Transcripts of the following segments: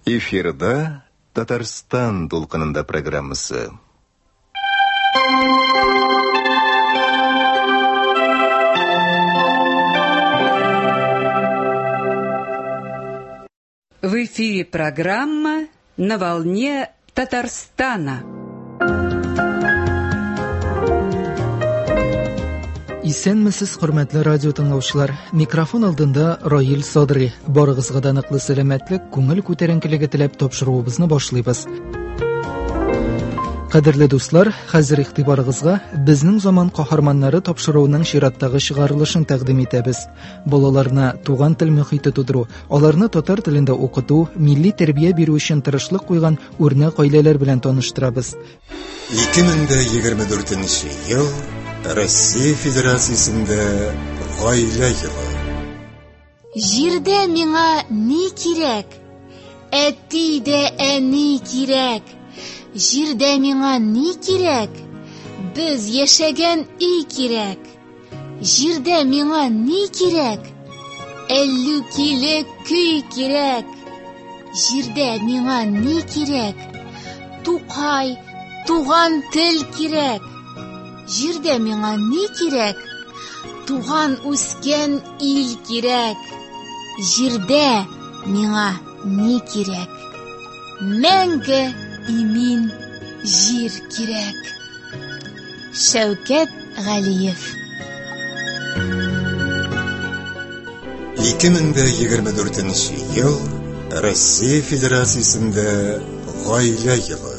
Эфирда Татарстан дулкынында программасы. В эфире программа «На волне Татарстана». Исәнмесез, хөрмәтле радио тыңлаучылар. Микрофон алдында Раил Садри. Барыгызга да ныклы сәламәтлек, күңел күтәренкелеге теләп тапшыруыбызны башлыйбыз. Кадерле дуслар, хәзер игътибарыгызга Безнең заман каһарманнары тапшыруының чираттагы чыгарылышын тәкъдим итәбез. Балаларны туган тел мөхите тудыру, аларны татар телендә укыту, милли тәрбия бирү өчен тырышлык куйган үрнәк гаиләләр белән таныштырабыз. 2024 ел Россия Федерациясендә гаилә елы. Җирдә миңа ни кирәк? Әти дә әни кирәк. Җирдә миңа ни кирәк? Без яшәгән өй кирәк. Җирдә миңа ни кирәк? Әллүкиле көй кирәк. Җирдә миңа ни кирәк? Тукай, туган тел кирәк. Җирдә миңа ни кирәк? Туган үскән ил кирәк. Җирдә миңа ни кирәк? Мәңге имин җир кирәк. Шәүкәт Галиев. 2024 ел Россия Федерациясендә гаилә елы.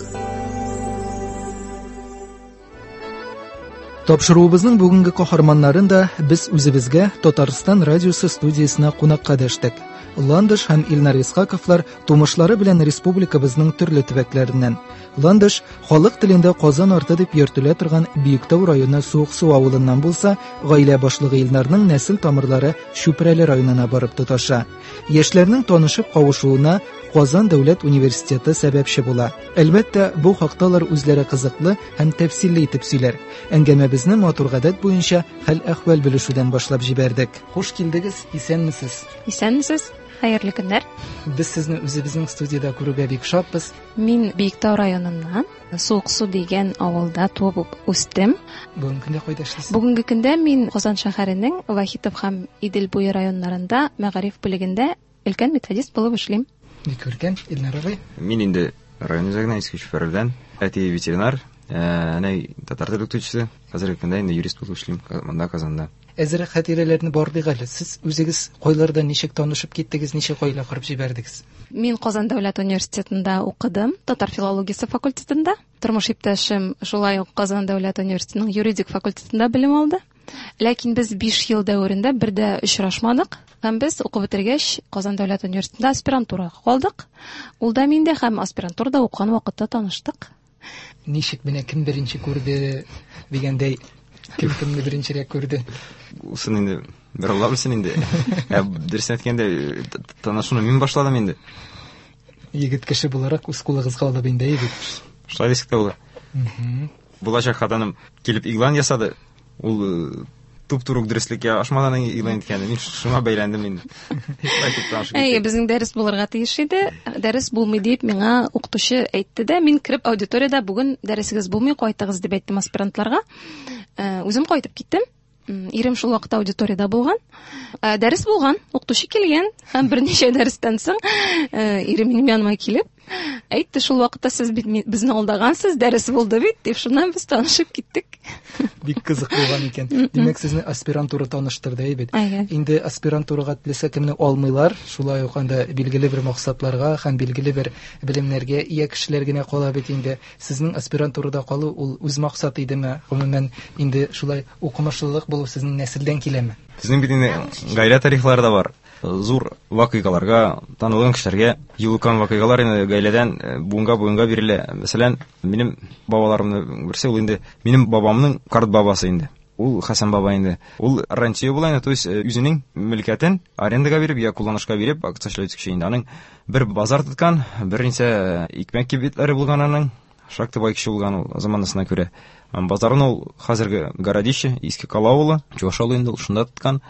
Тапшыруыбызның бүгенге каһарманнарын да без үзебезгә Татарстан радиосы студиясенә кунакка дәштек. Ландыш һәм Илнар Исхаковлар тумышлары белән республикабызның төрле төбәкләреннән. Ландыш халык телендә Казан арты дип йөртелә торган Биектау районы Суыксу авылыннан булса, гаилә башлыгы Илнарның нәсел тамырлары Чүпрәле районына барып тоташа. Яшьләрнең танышып кавышуына Казан дәүләт университеты сәбәпче була. Әлбәттә, бу хакта алар үзләре кызыклы һәм тәфсилле итеп сөйләр. Әңгәмәбезне матур гадәт буенча хәл-әхвәл белешүдән башлап җибәрдек. Хуш килдегез, исәнмесез. Исәнмесез, хәерле көннәр. Без сезне үзебезнең студиядә күрүгә бик шатбыз. Мин Биектау районыннан, Суыксу дигән авылда туып үстем. Бүгенге көндә кайда эшлисез? Бүгенге көндә мин Казан шәһәренең Вахитов һәм Идел буе районнарында мәгариф бүлегендә өлкән методист булып эшлим. Бик күркәм, Илнар абый. Мин инде район үзәгеннән, Иске Чүпрәледән. Әти ветеринар, әнәй татар теле укытучысы. Хәзерге көндә инде юрист булып эшлим монда Казанда. Әзерәк хатирәләрне барлыйк әле. Сез үзегез кайларда ничек танышып киттегез, ничек гаилә корып җибәрдегез? Мин Казан дәүләт университетында укыдым, татар филологиясе факультетында. Тормыш иптәшем шулай ук Казан дәүләт университетының юридик факультетында белем алды. Ләкин без 5 ел дәверендә бер дә очрашмадык. Һәм без укып бетергәч Казан дәүләт университетында аспирантурага калдык. Ул да мин дә һәм аспирантурада укыган вакытта таныштык. Ничек менә кем беренче күрде дигәндәй, кем кемне беренчерәк күрде? Усын инде бер Алла белсен инде. Ә дөресен әйткәндә, танышуны мин башладым инде. Егет кеше буларак үз кулыгызга алып инде, әйе бит? Шулай дисәк тә була. Булачак хатыным килеп игълан ясады. Ул туп-туры ук дөреслеккә ашмадан игълан иткән. Мин шуңа бәйләндем инде. Әйе, безнең дәрес булырга тиеш иде. Дәрес булмый дип миңа укытучы әйтте дә, мин кереп аудиториядә бүген дәресегез булмый, кайтыгыз дип әйттем аспирантларга. Үзем кайтып киттем. Ирем шул вакытта аудиториядә булган. Дәрес булган, укытучы килгән һәм берничә дәрестән соң ирем минем яныма килеп әйтте, шул вакытта сез бит безне алдагансыз, дәрес булды бит, дип, шуннан без танышып киттек. Бик кызык булган икән. Димәк, сезне аспирантура таныштырды, әйе бит? Әйе. Инде аспирантурага теләсә кемне алмыйлар, шулай ук анда билгеле бер максатларга һәм билгеле бер белемнәргә ия кешеләр генә кала бит инде. Сезнең аспирантурада калу ул үз максат идеме? Гомумән, инде шулай укымышлылык булу сезнең нәселдән киләме? Безнең бит инде гаилә тарихлары да бар. Зур вакыйгаларга, танылган кешеләргә юлыккан вакыйгалар инде гаиләдән буынга буынга бирелә. Мәсәлән, минем бабаларымның берсе ул инде минем бабамның карт бабасы инде. Ул Хәсән баба инде. Ул рантье була инде, то есть үзенең мөлкәтен арендага биреп, я кулланышка биреп, акча эшләүче кеше инде. Аның бер базар тоткан, берничә икмәк кибетләре булган аның. Шактый бай кеше булган ул заманасына күрә. Базарын ул хәзерге Городище, Иске Кала авылы, Чуваш авылы инде ул шунда тоткан.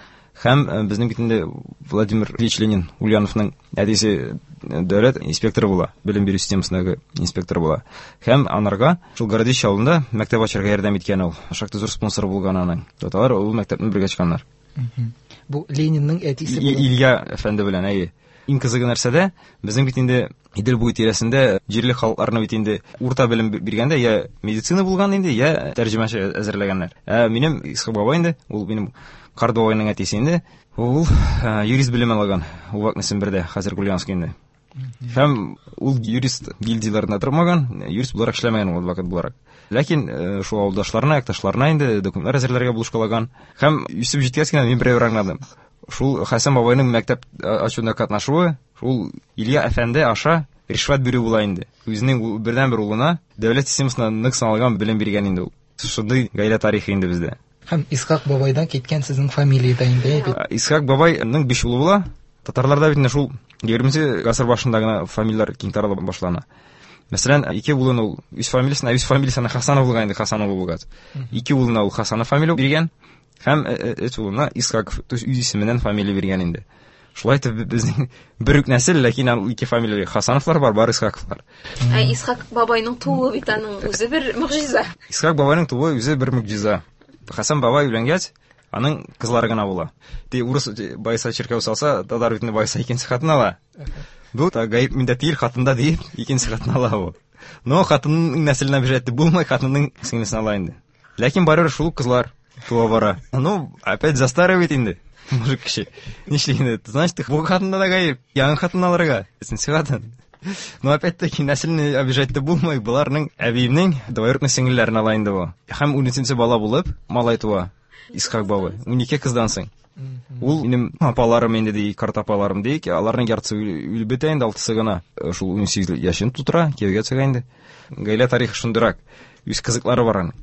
Һәм безнең бит инде Владимир Ильич Ленин Ульяновның әтисе дәүләт инспекторы була, белем бирү системасындагы инспектор була. Һәм анарга шул Городище авылында мәктәп ачарга ярдәм иткән ул. Шактый зур спонсор булган аның. Алар ул мәктәпне бергә ачканнар. Бу Ленинның әтисе була. Илья әфәнде белән, әйе. Иң кызыгы нәрсәдә, безнең бит инде Идел буе тирәсендә җирле халыкларны бит инде урта белем биргәндә я медицина булган инде, я тәрҗемәче әзерләгәннәр. Ә минем Исхак бабай инде, ул минем карт бабайның әтисе инде, ул юрист белеме алган Увак Сембердә, хәзер Ульяновск инде. Һәм ул юрист гильдияләрендә тормаган, юрист буларак эшләмәгән ул адвокат буларак. Ләкин шул авылдашларына, якташларына инде документлар әзерләргә булышкалаган. Һәм үсеп җиткәч кенә мин берәү аңладым. Шул Хәсән бабайның мәктәп ачуында катнашуы, шул Илья әфәнде аша ришвәт бирү була инде. Үзенең бердәнбер улына дәүләт системасында нык саналган белем биргән инде ул. Шундый гаилә тарихы инде бездә. Һәм Исхак бабайдан киткән сезнең фамилия дә инде, бит. Исхак бабайның 5 улы була. Татарларда бит инде шул 20 гасыр башында гына фамилияләр киң тарала башлана. Мәсәлән, 2 улын ул үз фамилиясенә, үз фамилиясенә Хасанов булган инде, Хасанов булган. 2 улына ул Хасанов фамилия биргән. Һәм өч улына Исхаков, то есть үз исеменнән фамилия биргән инде. Шулай итеп безнең бер үк нәсел, ләкин ул ике фамилия Хасановлар бар, бар Исхаковлар. Ә Исхак бабайның тууы бит аның үзе бер могҗиза. Исхак бабайның тууы үзе бер могҗиза. Хасан бабай өйләнгәч, аның кызлары гына була. Ти урыс байса чиркәү салса, татар бит байса икенче хатын ала. Бу гаеп миндә түгел, хатында дип, икенче хатын ала бу. Но хатынның нәселенә бирәтте булмый, хатынның сеңлесен ала инде. Ләкин барыбер шул кызлар туа бара. Ну, опять застаривает инде. Мужик кеше. Нишли инде? Значит, бу хатында да гаеп. Яңа хатын алырга. Өченче хатын. Но опять-таки нәселне обижать та булмый. Буларның әбиемнең двоюродный сеңелләрен ала инде бу. Һәм 13 бала булып, малай туа. Исхак бабай. 12 кыздан соң. Ул минем апаларым инде ди, карт апаларым ди, аларның яртысы үлеп бетә инде, алтысы гына. Шул 18 яшен тутыра, кияүгә чыга инде. Гаилә тарихы шундыйрак. Үз кызыклары бар аның.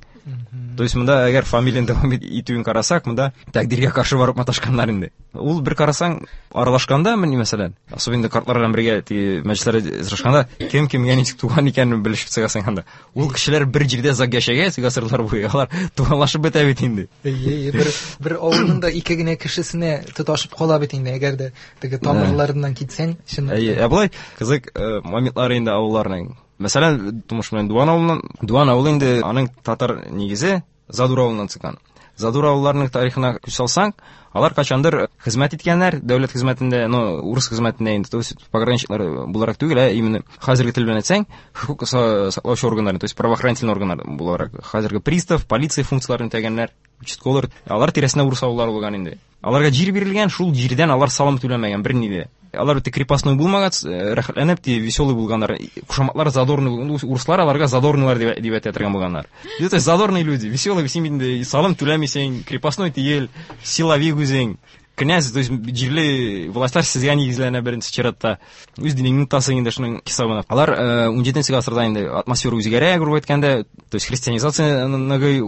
То есть монда әгәр фамилияне дәвам итүен карасак, монда тәкъдиргә каршы барып маташканнар инде. Ул бер карасаң, аралашканда, менә мәсәлән, особенно картлар белән бергә теге мәҗлесләрдә очрашканда, кем кемгә ничек туган икәнен белешеп чыгасың анда. Ул кешеләр бер җирдә озак яшәгәч, гасырлар буе, алар туганлашып бетә бит инде. Әйе, бер авылның да ике генә кешесенә тоташып кала бит инде, әгәр дә теге тамырларыннан китсәң, чынлап. Әйе, ә болай кызык моментлары инде авылларның. Мәсәлән, тумыш белән Дуан авылыннан, Дуан авылы инде аның татар нигезе Задур авылыннан чыккан. Задур авылларының тарихына күз салсаң, алар качандыр хезмәт иткәннәр, дәүләт хезмәтендә, но урыс хезмәтендә инде, то есть пограничниклар буларак түгел, ә именно хәзерге тел белән әйтсәң, хокук саклаучы органнар, то есть правоохранительный органнар буларак, хәзерге пристав, полиция функцияләрен үтәгәннәр, участковыйлар, алар тирәсендә урыс авыллары булган инде. Аларга җир бирелгән, шул җирдән алар салым түләмәгән берни дә. Алар бит крепостной булмагач, рәхәтләнеп, ди, веселый булганнар. Кушаматлар задорный булган. Урыслар аларга задорныйлар дип әйтә торган булганнар. Это задорные люди, веселые, син инде салым түләмисең, крепостной түгел, силовик үзең. Князь, то есть җирле властьлар сезгә нигезләнә беренче чиратта. Үз динеңне тотасың инде шуның хисабына. Алар 17 гасырда инде атмосфера үзгәрә, грубо әйткәндә, то есть христианизация ныгый,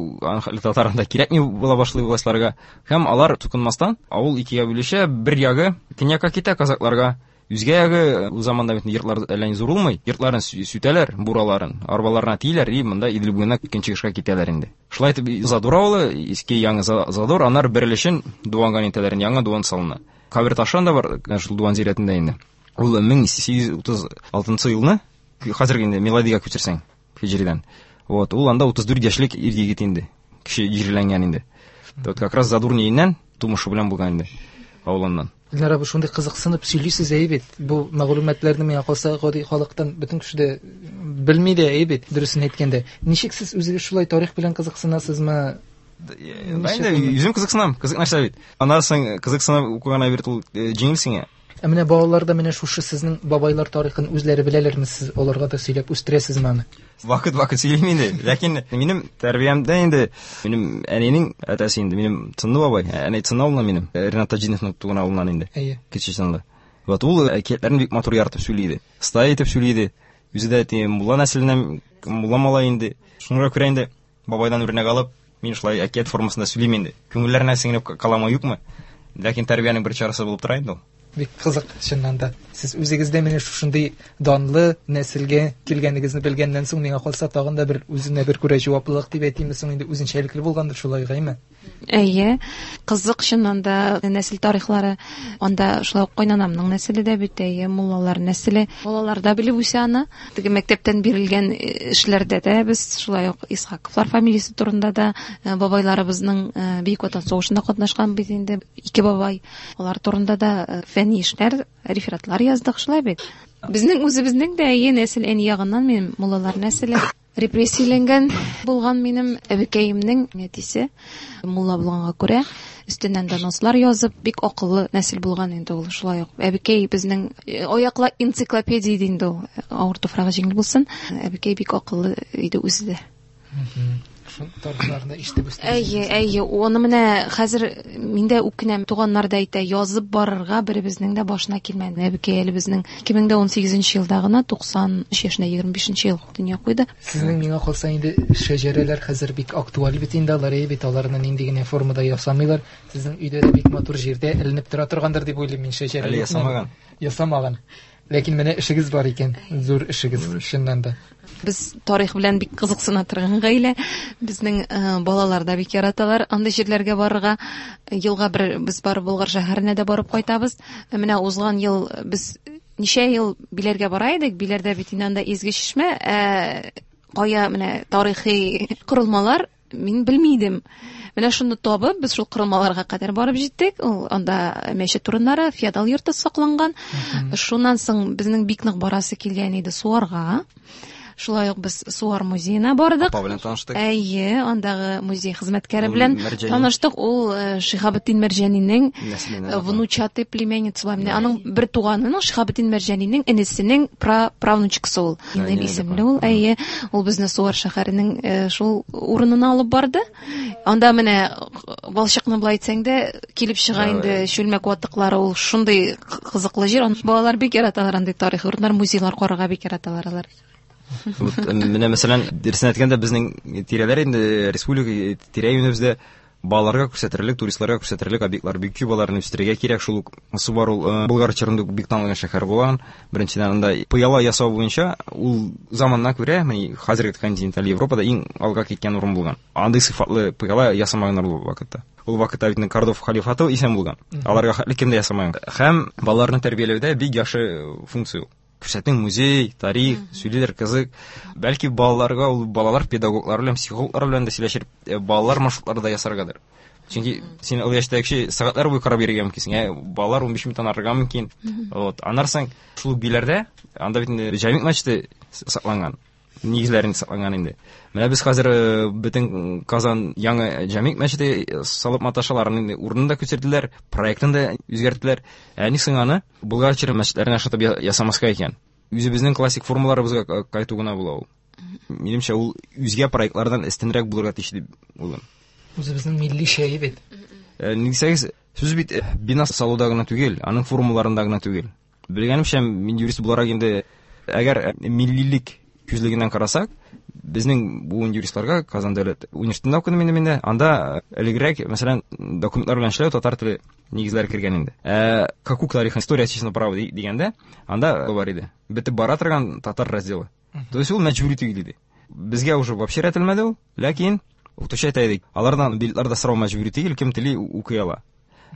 татарында кирәкми була башлый властьларга. Һәм алар тукынмастан авыл икегә бүлешә, бер ягы төньякка китә казакларга, үзгә ягы ул заманда бит йортлар әллә ни зур булмый, йортларын сүтәләр, бураларын, арбаларына тиеләр, и монда Идел буена көнчыгышка китәләр инде. Шулай итеп Задур авылы, иске яңа Задур, аннары бер өлешен Дуанга нитәләр, яңа Дуан салына. Кабер ташы анда бар, шул Дуан зиратында инде. Ул 1836 елны, хәзерге инде миладига күчерсәң, һиҗридән. Вот, ул анда 34 яшьлек ир егет инде, кеше җирләнгән инде. Вот как раз Задур ниеннән тумышы белән булган инде авылыннан. Илнар абый, шундый кызыксынып сөйлисез әй бит. Бу мәгълүматларны миңа калса гади халыктан бөтен кеше дә белми дә әй бит, дөресен әйткәндә. Ничек сез үзегез шулай тарих белән кызыксынасызмы? Мин дә үзем кызыксынам, кызык нәрсә бит. Аннан соң кызыксынып укыган әйбер ул җиңел сиңа. Ә менә балалар да менә шушы сезнең бабайлар тарихын үзләре беләләрме, сез аларга да сөйләп үстерәсезме аны? Вакыт-вакыт сөйлим инде. Ләкин минем тәрбиямдә инде минем әнинең әтәсе инде, минем Тынлы бабай, әни Тынлы авылыннан минем, Ренат Таҗиновның туган авылыннан инде. Әйе. Кече Чынлы. Вот ул әкиятләрен бик матур яратып сөйли иде. Оста итеп сөйли иде. Үзе дә теге мулла нәселеннән, мулла малай инде. Шуңа күрә инде бабайдан үрнәк алып, мин шулай әкият формасында сөйлим инде. Күңелләренә сеңеп каламы, юкмы? Ләкин тәрбиянең бер чарасы булып тора инде ул. Бик кызык, чыннан да. Сез үзегез дә менә шушындый данлы нәселгә килгәнегезне белгәннән соң, миңа калса, тагын да бер үзенә бер күрә җаваплылык дип әйтимме соң инде, үзенчәлекле булгандыр шулай, гайме? Әйе, кызык чыннан да нәсел тарихлары. Анда шулай ук кайнанамның нәселе дә бит, әйе, муллалар нәселе. Балалар да белеп үсә аны. Теге мәктәптән бирелгән эшләрдә дә без шулай ук Исхаковлар фамилиясе турында да, бабайларыбызның Бөек Ватан сугышында катнашкан бит инде ике бабай. Алар турында да фәнни эшләр, рефератлар яздык, шулай бит. Безнең үзебезнең дә әйе нәсел, әни ягыннан минем муллалар нәселе. Репрессияләнгән булган минем әбекәемнең әтисе мулла булганга күрә, өстеннән донослар язып, бик акыллы нәсел булган инде ул, шулай ук. Әбекәй безнең аяклы энциклопедия иде инде ул, авыр туфрагы җиңел булсын. Әбекәй бик акыллы иде үзе дә. Шул тарихларны ишетеп үстегез. Әйе, әйе, оны менә хәзер мин дә үкенәм, туганнар да әйтә, язып барырга беребезнең дә башына килмәде. Әбекәй әле безнең 2018 елда гына 93 яшендә 25 ел дөнья куйды. Сезнең миңа калса инде шәҗәрәләр хәзер бик актуаль бит инде, алар әйе бит, аларны нинди генә формада ясамыйлар. Сезнең өйдә дә бик матур җирдә эленеп тора торгандыр дип уйлыйм мин шәҗәрә. Әле ясамаган. Ясамаган. Ләкин менә эшегез бар икән, зур эшегез, чыннан да. Без тарих белән бик кызыксына торган гаилә. Безнең балалар да бик яраталар андый җирләргә барырга. Елга бер без барып Болгар шәһәренә дә барып кайтабыз. Менә узган ел без ничә ел Биләргә бара идек. Биләрдә бит инде анда изге чишмә, кая менә тарихи корылмалар мин белми идем. Менә шуны табып, без шул корылмаларга кадәр барып җиттек. Ул анда мәчет урыннары, феодал йорты сакланган. Шуннан соң безнең бик нык барасы килгән иде Суарга. Шулай ук без Суар музеена бардык. Апа белән таныштык. Әйе, андагы музей хезмәткәре белән таныштык. Ул Шиһабетдин Мәрҗанинең внучатый племянница була. Менә аның бер туганының, Шиһабетдин Мәрҗанинең энесенең правнучкасы ул. Инел исемле ул. Әйе, ул безне Суар шәһәренең шул урынына алып барды. Анда менә балчыкны былай әйтсәң дә килеп чыга инде чүлмәк ватыклары, ул шундый кызыклы җир. Балалар бик яраталар андый тарихи урыннар, музейлар карарга бик яраталар алар. Вот, менә мәсәлән, дөресен әйткәндә, безнең тирәләр инде республика тирә-юнебездә балаларга күрсәтерлек, туристларга күрсәтерлек объектлар бик күп, аларны үстерергә кирәк. Шул ук Субар ул Болгар чорында бик танылган шәһәр булган. Беренчедән, анда пыяла ясау буенча ул заманына күрә, менә хәзерге континенталь Европада иң алга киткән урын булган. Андый сыйфатлы пыяла ясамаганнар ул вакытта. Ул вакытта бит Кордов халифаты исән булган. Аларга хәтле кем дә ясамаган. Һәм балаларны тәрбияләүдә бик яхшы функция ул. Күрсәтең музей, тарих, сөйлиләр кызык. Бәлки балаларга ул балалар педагоглар белән, психологлар белән дә сөйләшеп, балалар маршрутлары да ясаргадыр. Чөнки син ул яшьтәге кеше сәгатьләр буе карап йөрергә мөмкинсең, балалар 15 минуттан арырга мөмкин. Вот, аннан соң шул Биләрдә, анда бит инде Җәмигъ мәчете сакланган, нигезләрен сакланган инде. Менә без хәзер бөтен Казан яңа Җәмигъ мәчете салып маташалар, аның инде урынын да күчерделәр, проектын да үзгәрттеләр. Ә ни соң аны Болгар чоры мәчетләренә ошатып ясамаска икән? Үзебезнең классик формаларыбызга кайту гына була ул. Минемчә, ул үзгә проектлардан өстенрәк булырга тиеш дип уйлыйм. Үзебезнең милли чәе бит. Ни дисәгез, сүз бит бина салуда гына түгел, аның формаларында гына түгел. Белгәнемчә, мин юрист буларак инде, әгәр миллилек күзлегеннән карасак, безнең буын юристларга Казан дәүләт университетында укыдым инде мин дә. Анда элегрәк, мәсәлән, документлар белән эшләү татар теле нигезләре кергән инде. Хокук тарихы, история отечественного права дигәндә, анда бар иде. Бетеп бара торган татар разделы. То есть ул мәҗбүри түгел иде. Безгә уже вообще рәтелмәде ул, ләкин укытучы әйтә иде, алардан билетларда сорау мәҗбүри түгел, кем тели укый ала.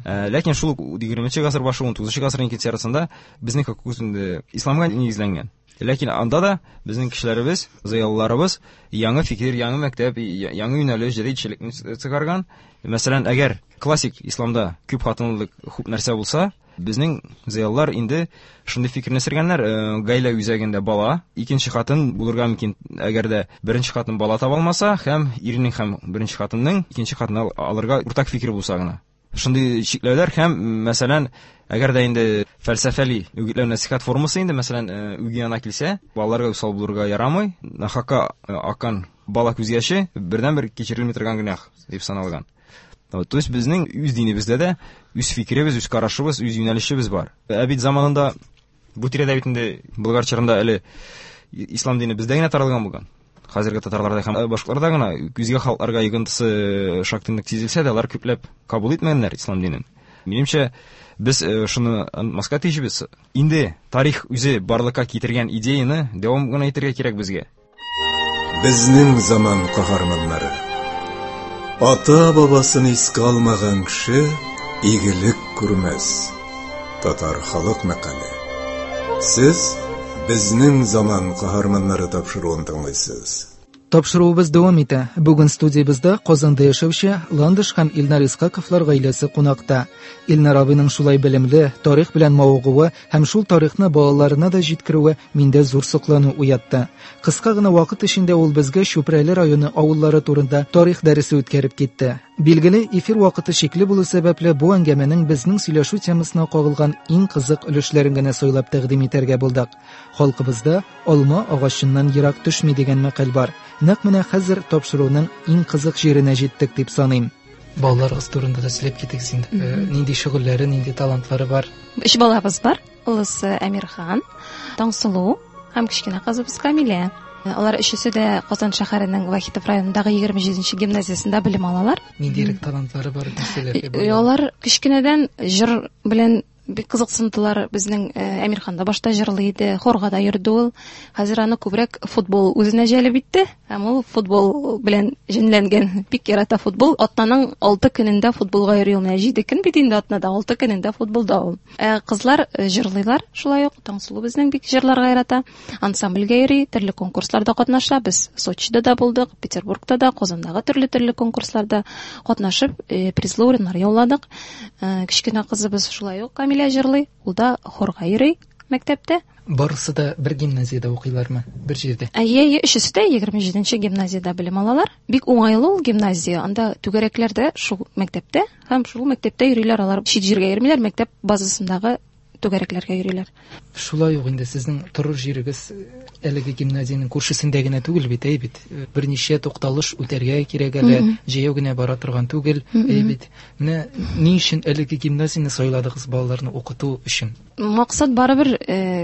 Ләкин шул ук егерменче гасыр башы, унтугызынчы гасырның икенче яртысында безнең хокук инде исламга нигезләнгән. Ләкин анда да безнең кешеләребез, зыялыларыбыз яңа фикер, яңа мәктәп, яңа юнәлеш, җәдитчелекне чыгарган. Мәсәлән, әгәр классик исламда күп хатынлылык күп нәрсә булса, безнең зыялылар инде шундый фикерне сергәннәр, гаилә үзәгендә бала, икенче хатын булырга мөмкин, әгәр дә беренче хатын бала таба алмаса, һәм иренең һәм беренче хатынның икенче хатынны алырга уртак фикер булса гына. Шундый чикләүләр һәм, мәсәлән, әгәр дә инде фәлсәфәли үгетләү нәсихәт формасы инде, мәсәлән, үги ана килсә, балаларга усал булырга ярамый, нахакка аккан бала күз яше бердәнбер кичерелми торган гөнаһ дип саналган. Вот, то есть безнең үз динебездә дә үз фикеребез, үз карашыбыз, үз юнәлешебез бар. Ә бит заманында бу тирәдә бит инде Болгар чорында әле ислам дине бездә генә таралган булган. Хәзерге татарларда һәм башкаларда гына үзгә халыкларга йогынтысы шактый нык сизелсә дә, алар күпләп кабул итмәгәннәр ислам динен. Минемчә, без шуны онытмаска тиешбез. Инде тарих үзе барлыкка китергән идеяны дәвам гына итәргә кирәк безгә. Безнең заман каһарманнары. Ата-бабасын искә алмаган кеше игелек күрмәс. Татар халык мәкале. Сез Безнең заман каһарманнары тапшыруын тыңлыйсыз. Тапшыруыбыз дәвам итә. Бүген студиябездә Казанда яшәүче Ландыш һәм Илнар Исхаковлар гаиләсе кунакта. Илнар абыйның шулай белемле, тарих белән мавыгуы һәм шул тарихны балаларына да җиткерүе миндә зур соклану уятты. Кыска гына вакыт эчендә ул безгә Чүпрәле районы авыллары турында тарих дәресе үткәреп китте. Билгеле, эфир вакыты чикле булу сәбәпле, бу әңгәмәнең безнең сөйләшү темасына кагылган иң кызык өлешләрен генә сайлап тәкъдим итәргә булдык. Халкыбызда алма агачыннан ерак төшми дигән мәкаль бар. Нәкъ менә хәзер тапшыруның иң кызык җиренә җиттек дип саныйм. Балаларыгыз турында да сөйләп китегез инде. Нинди шөгыльләре, нинди талантлары бар? Өч балабыз бар. Олысы Әмирхан, Таңсылу һәм кечкенә кызыбыз Камилә. Алар өчесе дә Казан шәһәренең Вахитов районындагы 27 гимназиясендә белем алалар. Ниндирәк талантлары бар нәрсәләр? Алар кечкенәдән җыр белән бик кызыксындылар. Безнең Әмирхан да башта җырлый иде, хорга да йөрде ул. Хәзер аны күбрәк футбол үзенә җәлеп итте. Һәм ул футбол белән җенләнгән, бик ярата футбол. Атнаның 6 көнендә футболга йөри ул. Менә 7 көн бит инде атнада, 6 көнендә футболда ул. Кызлар җырлыйлар шулай ук. Таңсылу безнең бик җырларга ярата. Ансамбльгә йөри, төрле конкурсларда катнаша. Без Сочида да булдык, Петербургта да, Казандагы төрле-төрле конкурсларда катнашып, призлы урыннар яуладык. Кечкенә кызыбыз шулай ук Камилә җырлый, ул да хорга йөри мәктәптә. Барысы да бер гимназиядә укыйлармы? Бер җирдә? Әйе, әйе, өчесе дә 27 гимназиядә белем алалар. Бик уңайлы ул гимназия. Анда түгәрәкләр дә шул мәктәптә һәм шул мәктәптә йөриләр алар. Чит җиргә йөрмиләр, мәктәп базасындагы түгәрәкләргә йөриләр. Шулай ук инде сезнең торыр җирегез әлеге гимназиянең күршесендә генә түгел бит, әй бит. Берничә тукталыш үтәргә кирәк әле, җәяү генә бара торган түгел, әй бит. Менә ни өчен әлеге гимназияне сайладыгыз балаларны укыту өчен? Максат барыбер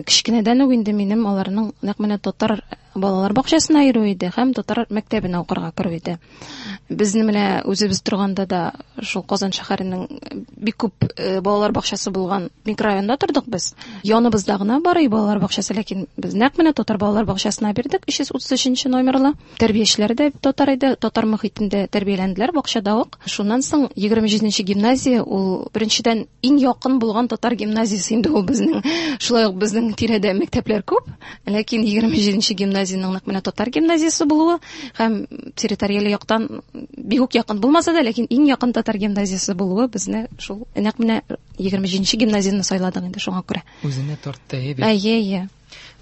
кечкенәдән үк инде минем аларның нәкъ менә татар балалар бакчасына йөрү иде һәм татар мәктәбенә укырга керү иде. Безне менә үзебез торганда да шул Казан шәһәренең бик күп балалар бакчасы булган микрорайонда тордык без. Яныбызда гына бар и балалар бакчасы, ләкин без нәкъ менә татар балалар бакчасына бирдек, 333 номерлы. Тәрбиячеләре дә татар иде, татар мохитендә тәрбияләнделәр бакчада ук. Шуннан соң 27 гимназия ул беренчедән иң якын булган татар гимназиясе инде ул безнең. Шулай ук безнең тирәдә мәктәпләр күп, ләкин 27 гимназиянең нәкъ менә татар гимназиясе булуы һәм территориаль яктан бик үк якын булмаса да, ләкин иң якын татар гимназиясе булуы безне шул нәкъ менә 27 гимназияне сайладык инде шуңа күрә. Үзенә тартты, әйе бит. Әйе, әйе.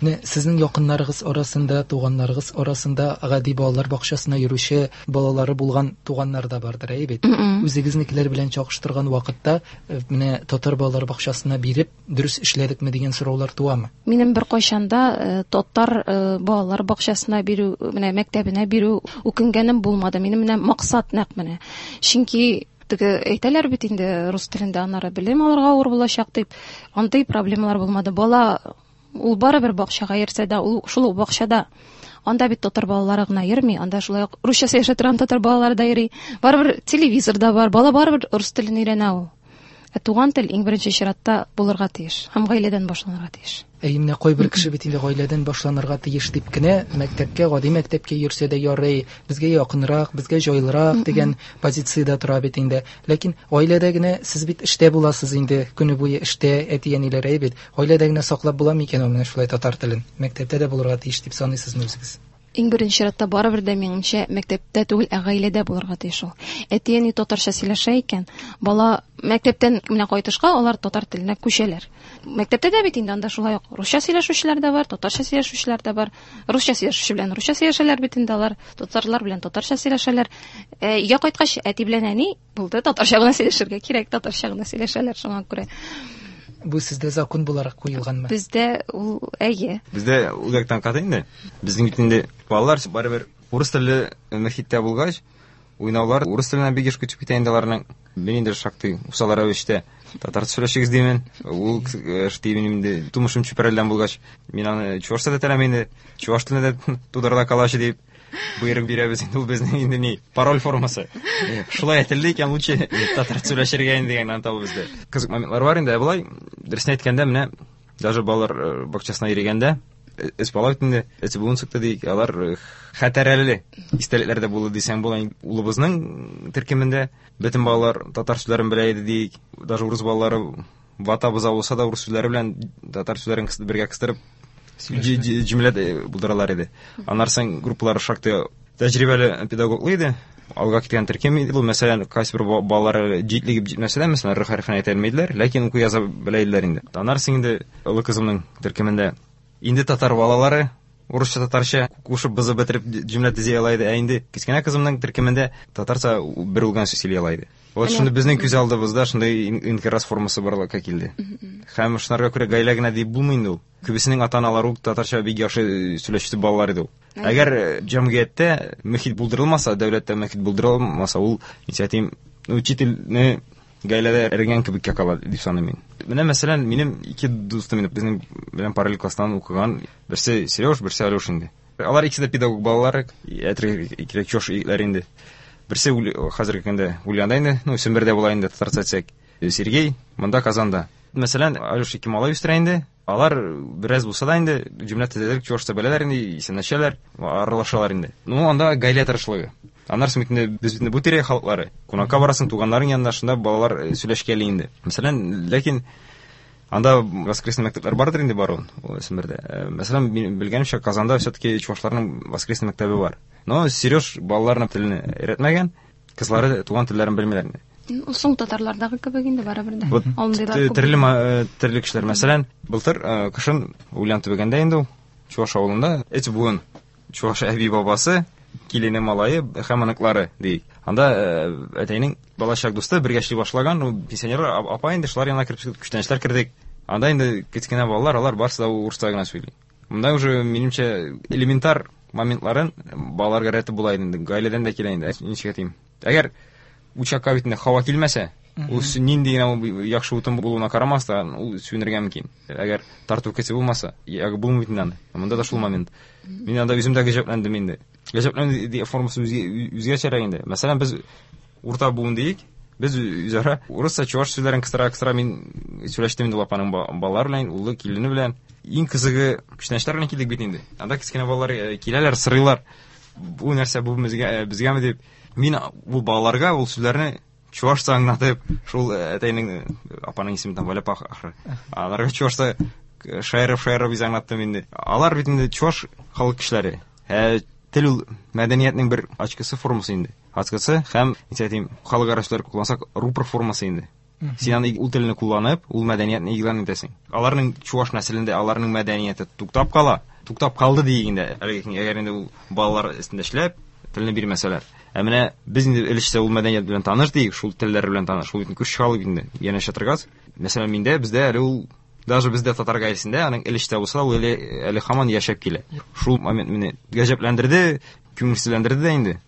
Менә сезнең якыннарыгыз арасында, туганнарыгыз арасында гади балалар бакчасына йөрүче балалары булган туганнар да бардыр, әйе бит? Үзегезнекеләр белән чагыштырган вакытта, менә татар балалар бакчасына биреп, дөрес эшләдекме дигән сораулар туамы? Минем бер кайчан да татар балалар бакчасына бирү, менә мәктәбенә бирү үкенгәнем булмады. Минем менә максат нәкъ менә. Чөнки теге әйтәләр бит инде рус телендә аннары белем алырга авыр булачак дип, андый проблемалар булмады. Бала ул барыбер бакчага йөрсә дә, ул шул ук бакчада. Анда бит татар балалары гына йөрми, анда шулай ук русча сөйләшә торган татар балалары да йөри. Барыбер телевизор да бар, бала барыбер рус телен өйрәнә ул. Ә туган тел иң беренче чиратта булырга тиеш һәм гаиләдән башланырга тиеш. Әйе, менә кайбер кеше бит инде гаиләдән башланырга тиеш дип кенә мәктәпкә, гади мәктәпкә йөрсә дә ярый, безгә якынрак, безгә җайлырак дигән позициядә тора бит инде. Ләкин гаиләдә генә сез бит эштә буласыз инде, көне буе эштә, әти-әниләр әйе бит. Гаиләдә генә саклап була микән ул менә шулай татар телен? Мәктәптә дә булырга тиеш дип саныйсызмы үзегез? Иң беренче чиратта барыбер дә минемчә мәктәптә түгел, ә гаиләдә булырга тиеш ул. Әти-әни татарча сөйләшә икән, бала мәктәптән менә кайтышка алар татар теленә күчәләр. Мәктәптә дә бит инде анда шулай ук русча сөйләшүчеләр дә бар, татарча сөйләшүчеләр дә бар. Русча сөйләшүче белән русча сөйләшәләр бит инде алар, татарлар белән татарча сөйләшәләр. Өйгә кайткач әти белән әни булды, татарча гына сөйләшергә кирәк, татарча гына сөйләшәләр шуңа күрә. Бу сездә закон буларак куелганмы? Бездә ул әйе. Бездә үзәктән каты инде. Безнең бит инде балалар барыбер урыс телле мөхиттә булгач, уйнаулар урыс теленә бик еш күчеп китә инде аларның. Мин инде шактый усал рәвештә татарча сөйләшегез димен. Ул дим инде тумышым Чүпрәледән булгач, мин аны чувашча да теләмим инде. Чуваш теленә дә тудырда калачы дип. Боерык бирәбез инде, ул безнең инде ни, пароль формасы. Шулай әйтелде икән, лучше татарча сөйләшергә инде дигән антау бездә. Кызык моментлар бар инде, ә болай, дөресен әйткәндә, менә даже балалар бакчасына йөрегәндә, өч бала бит инде, өч буын чыкты диик, алар хәтәрәле истәлекләр дә булды дисәң була. Улыбызның төркемендә бөтен балалар татар сүзләрен белә иде диик, даже урыс балалары вата боза булса да урыс сүзләре белән татар сүзләрен бергә кыстырып җөмлә булдыралар иде. Аннан соң группалар шактый тәҗрибәле педагоглы иде. Алга киткән төркем иде бу. Мәсәлән, кайсы бер балалар җитлегеп җитмәсә дә, мәсәлән, р хәрефен әйтә алмыйдылар, ләкин уку яза белә иделәр инде. Аннан соң инде олы кызымның төркемендә инде татар балалары урысча татарча кушып бызып бетереп җөмлә төзи ала иде. Ә инде кечкенә кызымның төркемендә татарча бер үлгән сүз сөйли ала иде. Вот шундый безнең күз алдыбызда шундый инкирас формасы барлыкка килде. Һәм шунарга күрә гаилә генә дип булмый инде ул. Күбесенең ата-аналары ук татарча бик яхшы сөйләшүче балалар иде ул. Әгәр җәмгыятьтә мөхит булдырылмаса, дәүләттә мөхит булдырылмаса, ул, ничә әйтим, учительне гаиләдә эрегән кебеккә кала дип саныйм мин. Менә мәсәлән, минем ике дустым инде безнең белән параллель класстан укыган, берсе Сереж, берсе Алёш инде. Алар икесе дә педагог балалары, әйтергә кирәк, чош егетләр инде. Берсе хәзерге көндә Ульянда инде, ну, Сембердә була инде, татарча әйтсәк. Сергей монда Казанда. Мәсәлән, Алёш ике малай үстерә инде. Алар бераз булса да инде җөмлә төзәлер, чувашча беләләр инде, исәнләшәләр, аралашалар инде. Ну, анда гаилә тырышлыгы. Аннан соң бит инде без бит инде бу тирә халыклары. Кунакка барасың, туганнарың янында, шунда балалар сөйләшкәли инде. Мәсәлән, ләкин анда воскресный мәктәпләр бардыр инде баруын, ул Сембердә. Мәсәлән, мин белгәнемчә, Казанда все-таки чувашларның воскресный мәктәбе бар. Но Сереж балаларына телне өйрәтмәгән, кызлары туган телләрен белмиләр инде. Соң татарлардагы кебек инде барыбер дә. Вот Андыйлар күп. Төрле кешеләр. Мәсәлән, былтыр кышын Ульян төбәгендә инде ул, Чуваш авылында өч буын чуваш әби бабасы, килене, малае һәм оныклары ди. Анда әтәйнең балачак дусты бергә эшли башлаган, ул пенсионер апа инде, шулар янына кереп күчтәнәчләр кердек. Анда инде кечкенә балалар, алар барысы да урысча гына сөйли. Монда уже, минемчә, элементар моментларын балаларга рәтеп була инде, гаиләдән дә килә инде. Ничек әйтим? Әгәр учакка бит инде һава килмәсә, ул нинди генә ул яхшы утын булуына карамастан, ул сүнергә мөмкин. Әгәр тарту көче булмаса, ягы булмый бит инде аны. Монда да шул момент. Мин анда үзем дә гаҗәпләндем инде. Гаҗәпләнү формасы үзгәчәрәк инде. Мәсәлән, без урта буын диек, без үзара урысча, чуваш сүзләрен кыстыра-кыстыра мин сөйләштем инде ул апаның балалары белән, улы, килене белән. Иң кызыгы күчтәнәчләр белән килдек бит инде. Анда кечкенә балалар киләләр, сорыйлар. Бу нәрсә, бу безгәме дип. Мин бу балаларга ул сүзләрне чувашча аңлатып, шул әтәйнең, апаның исеме там Валя апа ахры. Аларга чувашча шаярып-шаярып үзе аңлаттым инде. Алар бит инде чуваш халык кешеләре. Тел ул мәдәниятнең бер ачкысы формасы инде. Ачкысы һәм, ничек әйтим, халык ара сүзләр куллансак, рупор формасы инде. Син аны ул телне кулланып, ул мәдәниятне игълан итәсең. Аларның чуваш нәселендә аларның мәдәнияте туктап кала. Туктап калды диек инде, әлеге көн, әгәр инде ул балалар өстендә эшләп, телне бирмәсәләр. Ә менә без инде өлешчә ул мәдәният белән таныш диек, шул телләр белән таныш. Ул бит күрше халык инде, янәшә торгач. Мәсәлән, миндә, бездә әле ул, даже бездә татар гаиләсендә аның өлештә булса, ул әле һаман яшәп килә. Шул момент мине гаҗәпләндерде, күңелсезләндерде дә инде.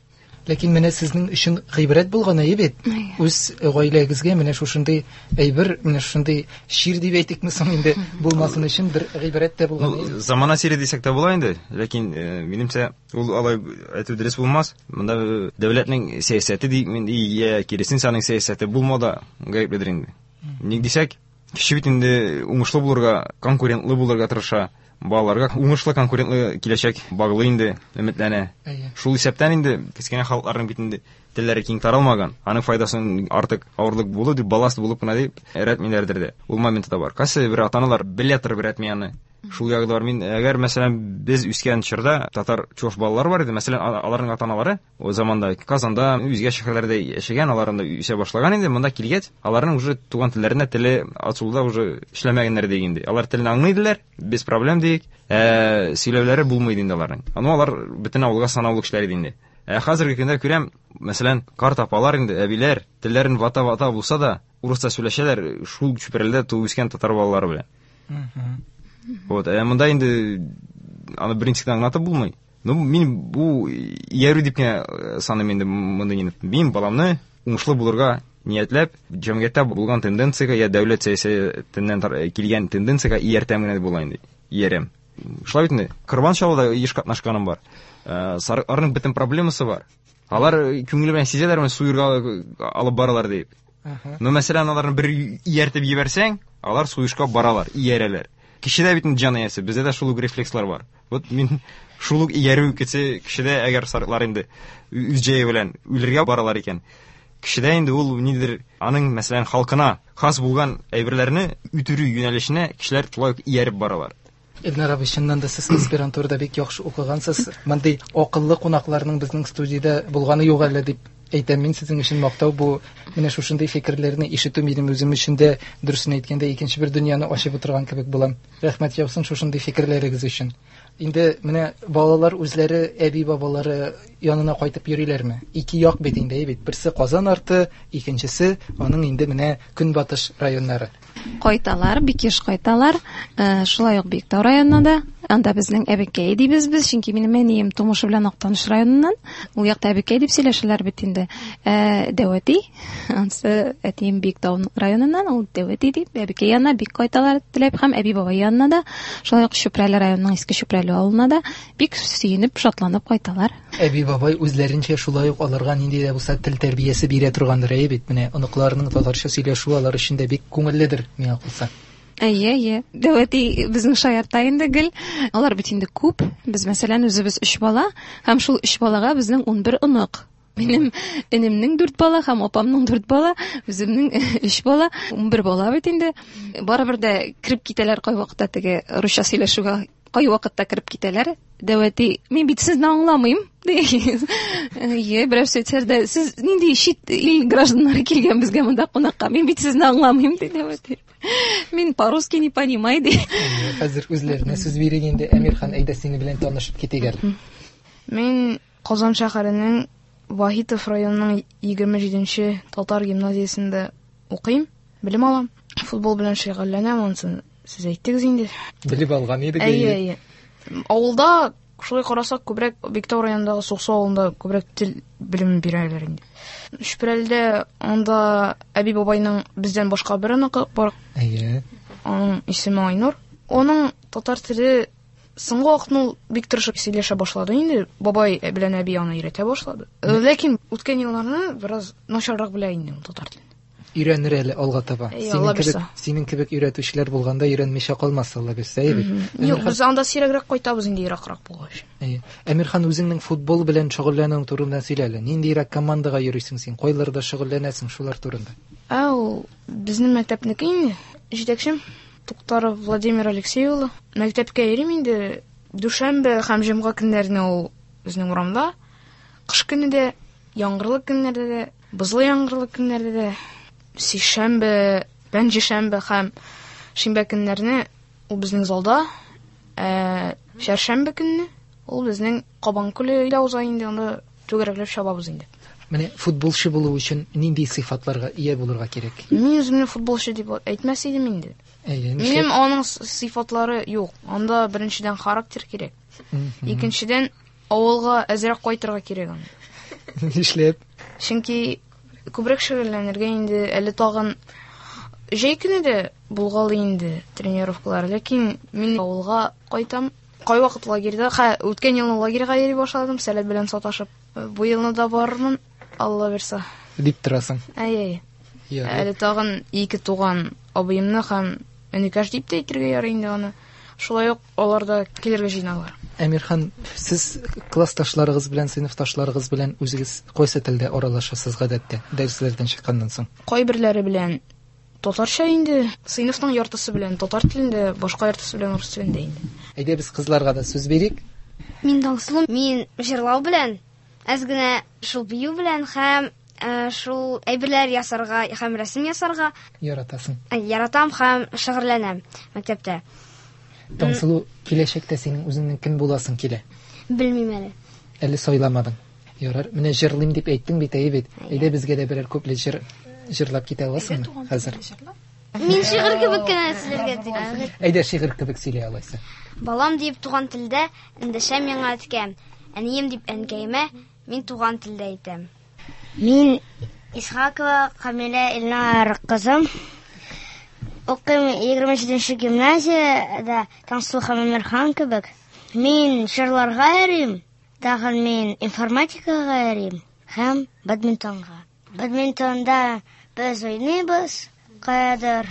Ләкин менә сезнең өчен гыйбрәт булган әйе бит. Үз гаиләгезгә менә шушындый әйбер, менә шушындый чир дип әйтикме соң инде, булмасын өчен бер гыйбрәт тә булган. Ну, замана чире дисәк тә була инде, ләкин минемчә ул алай әйтү дөрес булмас. Монда дәүләтнең сәясәте ди, мин, я киресенчә аның сәясәте булмау да гаепледер инде. Ник дисәк, кеше бит инде уңышлы булырга, конкурентлы булырга тырыша. Балаларга уңышлы конкурентлы киләчәк баглы инде, өметләнә. Шул исәптән инде кечкенә халыкларның бит инде телләре киң таралмаган. Аның файдасын артык авырлык булу дип, балласт булып кына дип рәтмиләрдер дә. Ул моменты да бар. Кайсы бер ата-аналар белә торып рәтми аны. Шул ягы да бар. Мин, әгәр, мәсәлән, без үскән чорда татар чуваш балалары бар иде, мәсәлән, аларның ата-аналары о заманда Казанда, үзгә шәһәрләрдә яшәгән, алар анда үсә башлаган инде, монда килгәч, аларның уже туган телләренә теле ачылуда уже эшләмәгәннәр диек инде. Алар телне аңлый иделәр, без проблем диек, сөйләүләре булмый иде инде аларның. Аны алар бөтен авылга санаулы кешеләр иде инде. Хәзерге көндә күрәм, мәсәлән, карт апалар инде, әбиләр, телләрен вата-вата булса да, урысча сөйләшәләр, шул чүпрәлдә туып үскән татар балалары белән. Вот, монда инде аны берничек тә аңлатып булмый. Ну, мин бу иярү дип кенә саныйм инде мондый нинди. Мин баламны уңышлы булырга ниятләп, җәмгыятьтә булган тенденциягә я дәүләт сәясәтеннән килгән тенденциягә ияртәм генә дип була инде. Иярәм. Шулай бит инде. Корбан чалуда еш катнашканым бар. Сарыкларның бөтен проблемасы бар. Алар күңеле белән сизәләр, менә суерга алып баралар дип. Но мәсәлән, аларны бер ияртеп җибәрсәң, алар суешка баралар, иярәләр. Кешедә бит инде җан иясе, бездә дә шул ук рефлекслар бар. Вот мин шул ук иярү кеше, кешедә әгәр сарыклар инде үз җәе белән үлергә баралар икән, кешедә инде ул нидер, аның, мәсәлән, халкына хас булган әйберләрне үтерү юнәлешенә кешеләр шулай ук ияреп баралар. Эльнар абый, чыннан да сез аспирантурада бик яхшы укыгансыз. Мондый акыллы кунакларның безнең студиядә булганы юк әле дип әйтәм мин сезнең өчен мактау бу. Менә шушындый фикерләрне ишетү минем үзем өчен дә, дөресен әйткәндә, икенче бер дөньяны ачып утырган кебек булам. Рәхмәт яусын шушындый фикерләрегез өчен. Инде менә балалар үзләре әби-бабалары янына кайтып йөриләрме? Ике як бит инде, әй бит. Берсе Казан арты, икенчесе аның инде менә көнбатыш районнары. Кайталар, бик еш кайталар. Шулай ук Биектау районына да. Анда безнең әбекәй дибез без, чөнки минем әнием тумышы белән Актаныш районыннан. Ул якта әбекәй дип сөйләшәләр бит инде. Дәүәти, ансы әтием Биектау районыннан, ул Дәүәти дип, әбекәй янына бик кайталар теләп һәм әби-бабай янына да, шулай ук Чүпрәле районының Иске Чүпрәле авылына да бик сөенеп, шатланып кайталар. Әби-бабай үзләренчә шулай ук аларга нинди дә булса тел тәрбиясе бирә торгандыр, әйе бит? Менә оныкларының татарча сөйләшүе алар өчен дә бик күңелледер, миңа калса. Әйе, әйе. Дәүәти безнең шаярта инде гел. Алар бит инде күп. Без, мәсәлән, үзебез 3 бала, һәм шул 3 балага безнең 11 онык. Минем энемнең 4 бала һәм апамның 4 бала, үземнең 3 бала, 11 бала бит инде. Барыбер дә кереп китәләр кайвакытта теге русча сөйләшүгә, кайвакытта кереп китәләр. Дәүәти, мин бит сезне аңламыйм, ди. Әйе, берәү әйтсә дә, сез нинди чит ил гражданнары килгән безгә монда кунакка, мин бит сезне аңламыйм, ди Дәүәти. Мин по-русски не понимаю, ди. Әйе, хәзер үзләренә сүз бирик инде. Әмирхан, әйдә сине белән танышып китик әле. Мин Казан шәһәренең Вахитов районының егерме җиденче татар гимназиясендә укыйм, белем алам. Футбол белән шөгыльләнәм, анысын сез әйттегез инде. Белеп алган идек, Әйе, әйе. әйе. Авылда, шулай карасак, күбрәк Биектау районындагы Суксу авылында күбрәк тел белеме бирәләр инде. Чүпрәледә анда әби-бабайның бездән башка бер оныгы бар. Әйе. Аның исеме Айнур. Аның татар теле соңгы вакытны ул бик тырышып сөйләшә башлады инде. Бабай белән әби аны өйрәтә башлады. Ләкин үткән елларны бераз начаррак белә инде ул татар телен. Өйрәнер әле алга таба. Әйе, Синең Алла бирсә. кебек өйрәтүчеләр булганда өйрәнмичә калмас, Алла бирсә, әйе бит? Юк, без анда сирәгрәк кайтабыз инде, еракрак булгач. Әйе. Әмирхан, үзеңнең футбол белән шөгыльләнүең турында сөйлә әле. Ниндирәк командага йөрисең син? Кайларда шөгыльләнәсең шулар турында? Ә, ул безнең мәктәпнеке инде. Җитәкчем Туктаров Владимир Алексей улы. Мәктәпкә йөрим инде. Дүшәмбе һәм җомга көннәренә ул безнең урамда. Кыш көне дә, яңгырлы көннәрдә дә, бозлы яңгырлы көннәрдә дә, сишәмбе, пәнҗешәмбе һәм шимбә көннәрне ул безнең залда. Ә чәршәмбе көнне ул безнең Кабан күле илә уза инде, анда түгәрәкләп чабабыз инде. Менә футболчы булу өчен нинди сыйфатларга ия булырга кирәк? Мин үземне футболчы дип әйтмәс идем инде. Әйе, Минем нишләп? аның сыйфатлары юк. Анда беренчедән характер кирәк. Икенчедән авылга әзрәк кайтырга кирәк анда. Нишләп? Чөнки күбрәк шөгыльләнергә инде, әле тагын җәй көне дә булгалый инде тренировкалар, ләкин мин авылга кайтам. Кайвакыт лагерьда, ха, үткән елны лагерьга йөри башладым, сәләт белән саташып. Бу елны да барырмын, Алла бирсә. Дип торасың. Әйе, әйе. Ярый. Әле тагын ике туган абыемны һәм энекәш дип тә әйтергә ярый инде аны. Шулай ук алар да килергә җыеналар. Әмирхан, сез классташларыгыз белән, сыйныфташларыгыз белән үзегез кайсы телдә аралашасыз гадәттә, дәресләрдән чыкканнан соң? Кайберләре белән татарча инде, сыйныфның яртысы белән татар телендә, башка яртысы белән урыс телендә инде. Әйдә без кызларга да сүз бирик. Мин Таңсылу, мин җырлау белән, әз генә шул бию белән һәм шул әйберләр ясарга һәм рәсем ясарга яратасың. Яратам һәм шөгыльләнәм мәктәптә. Таңсылу, киләчәктә синең үзеңнең кем буласың килә? Белмим әле. Әле сайламадың. Ярар, менә җырлыйм дип әйттең бит, әйе бит. Әйдә безгә дә берәр күпле җыр җырлап китә аласыңмы хәзер? Мин шигырь кебек кенә сөйләргә телим. Әйдә шигырь кебек сөйлә алайса. Балам дип туган телдә эндәшә миңа әткәм. Әнием дип әнкәемә мин туган телдә әйтәм. Мин Исхакова Камилә Илнар кызым. Укыйм 27 гимназиядә, Таңсылу һәм Әмирхан кебек. Мин җырларга йөрим, тагын мин информатикага йөрим һәм бадминтонга. Бадминтонда без уйныйбыз, каядыр.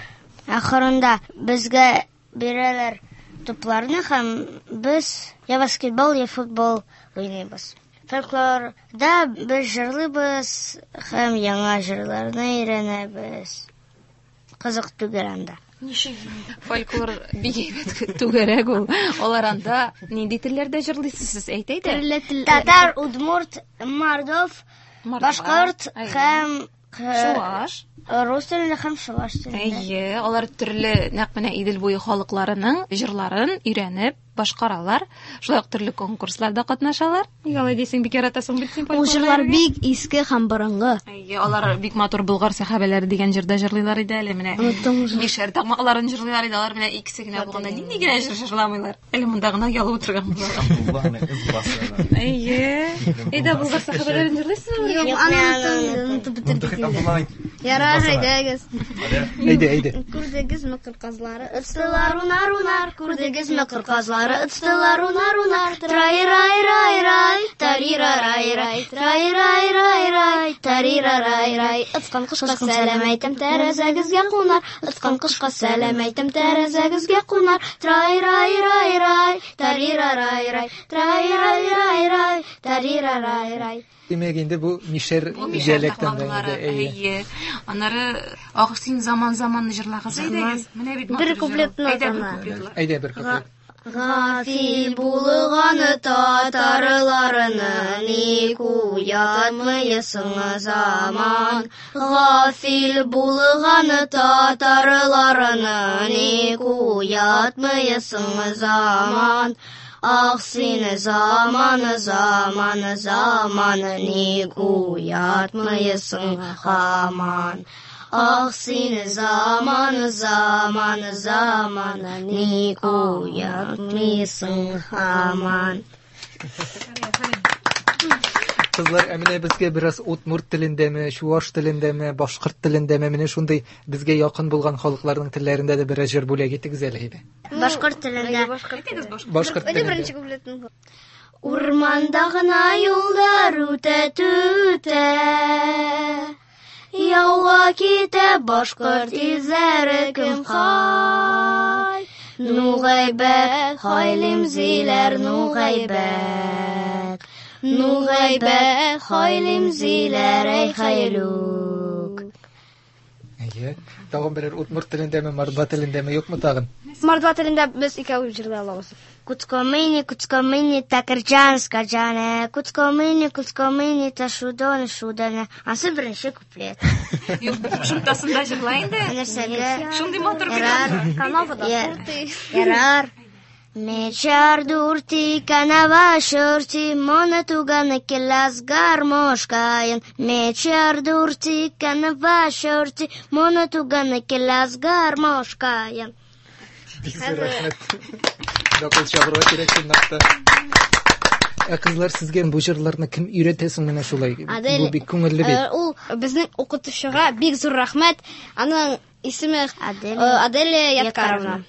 Ахырында безгә бирәләр тупларны һәм без я баскетбол, я футбол уйныйбыз. Фольклорда без җырлыйбыз һәм яңа җырларны өйрәнәбез. Кызык түгел анда. Ничек фольклор бик әйбәт түгәрәк ул. Алар анда нинди телләрдә җырлыйсыз сез? Әйт әйдә. Төрле тел. Татар, удмурт, мордов, башкорт һәм чуаш. Рус телендә һәм чуаш телендә. Әйе, алар төрле нәкъ менә Идел буе халыкларының җырларын өйрәнеп башкаралар. Шулай ук төрле конкурсларда катнашалар. Нигә алай дисең, бик яратасың бит син Ул җырлар бик иске һәм борынгы. Әйе, алар бик матур Болгар сәхабәләре дигән җырда җырлыйлар иде әле менә. Оныттым уже. Мишәр такмакларын җырлыйлар иде, алар менә икесе генә булганда нинди генә җыр җырламыйлар. Әле монда гына ялып утырган булалар. Әйе. Әйдә, Болгар сәхабәләрен җырлыйсызмы? Юк, аны онытып бетердек инде. Ярар, әйдәгез. Әйдә, әйдә. Күрдегезме кыр казлары? Ыцтылар унар унар, күрдегезме кыр казлары? Ыцтылар унар унар, трай-рай-рай-рай, тарира-рай-рай, трай-рай-рай-рай, тарира-рай-рай. Ыцкан кошка сәлам әйтәм, тәрәзәгезгә кунар. Ыцкан кошка сәлам әйтәм, тәрәзәгезгә кунар. Трай-рай-рай-рай, тарира-рай-рай, трай-рай-рай-рай, тарира-рай-рай. Димәк, инде бу мишәр Бу мишәр диалектында такмаклары, инде, әйе. әйе. Аннары Ах син заман заманны җырлагыз әйдәгез. Менә бит Бер матур җыр. куплетны Әйдә бер гына. куплетлы. Әйдә бер куплет. Гафил булган татарларны ник уятмыйсың заман? Гафил булган татарларны ник уятмыйсың заман? Ах син заман, заман, заман, ник уятмыйсың һаман? Ах син заман, заман, заман, ник уятмыйсың һаман? Кызлар, ә менә безгә бераз удмурт телендәме, чуаш телендәме, башкорт телендәме, менә шундый безгә якын булган халыкларның телләрендә дә бераз җыр бүләк итегез әле әйдә. Башкорт телендә. Башкорт Әйдә телендә. беренче куплетын. Урманда гына юлдар үтә түтә. Яуга китә башкорт изләре кем хай. Ну гайбәт, хайлим зиләр, ну гайбәт. Ну гайбәт, хайлим зиләр, әй хайлүк. Әйе. Тагын берәр удмурт телендәме, мордва телендәме юкмы тагын? Мордва телендә без икәү җырлый алабыз. Куцкомыни, куцкомыни, такырджан, скаджане, куцкомыни, куцкомыни, ташудон, шудане. Ансы беренче куплет. Юк, бер кушымтасын да җырла инде. Нәрсәгә? Шундый матур бит. Ярар. Канавада Я- Ярар. Мечар дурти, канава шурти, мона туганы келас гармошкайын. Мечар дурти, канава шурти, мона туганы келас гармошкайын. Бик зур рәхмәт. Дакыл чабырга кирәк чынлап та. Ә кызлар, сезгә бу җырларны кем өйрәтә соң менә шулай? Адель, Бу бик күңелле бит. Ул безнең укытучыга бик зур рәхмәт. Аның исеме Аделя Аделя Ядкаровна.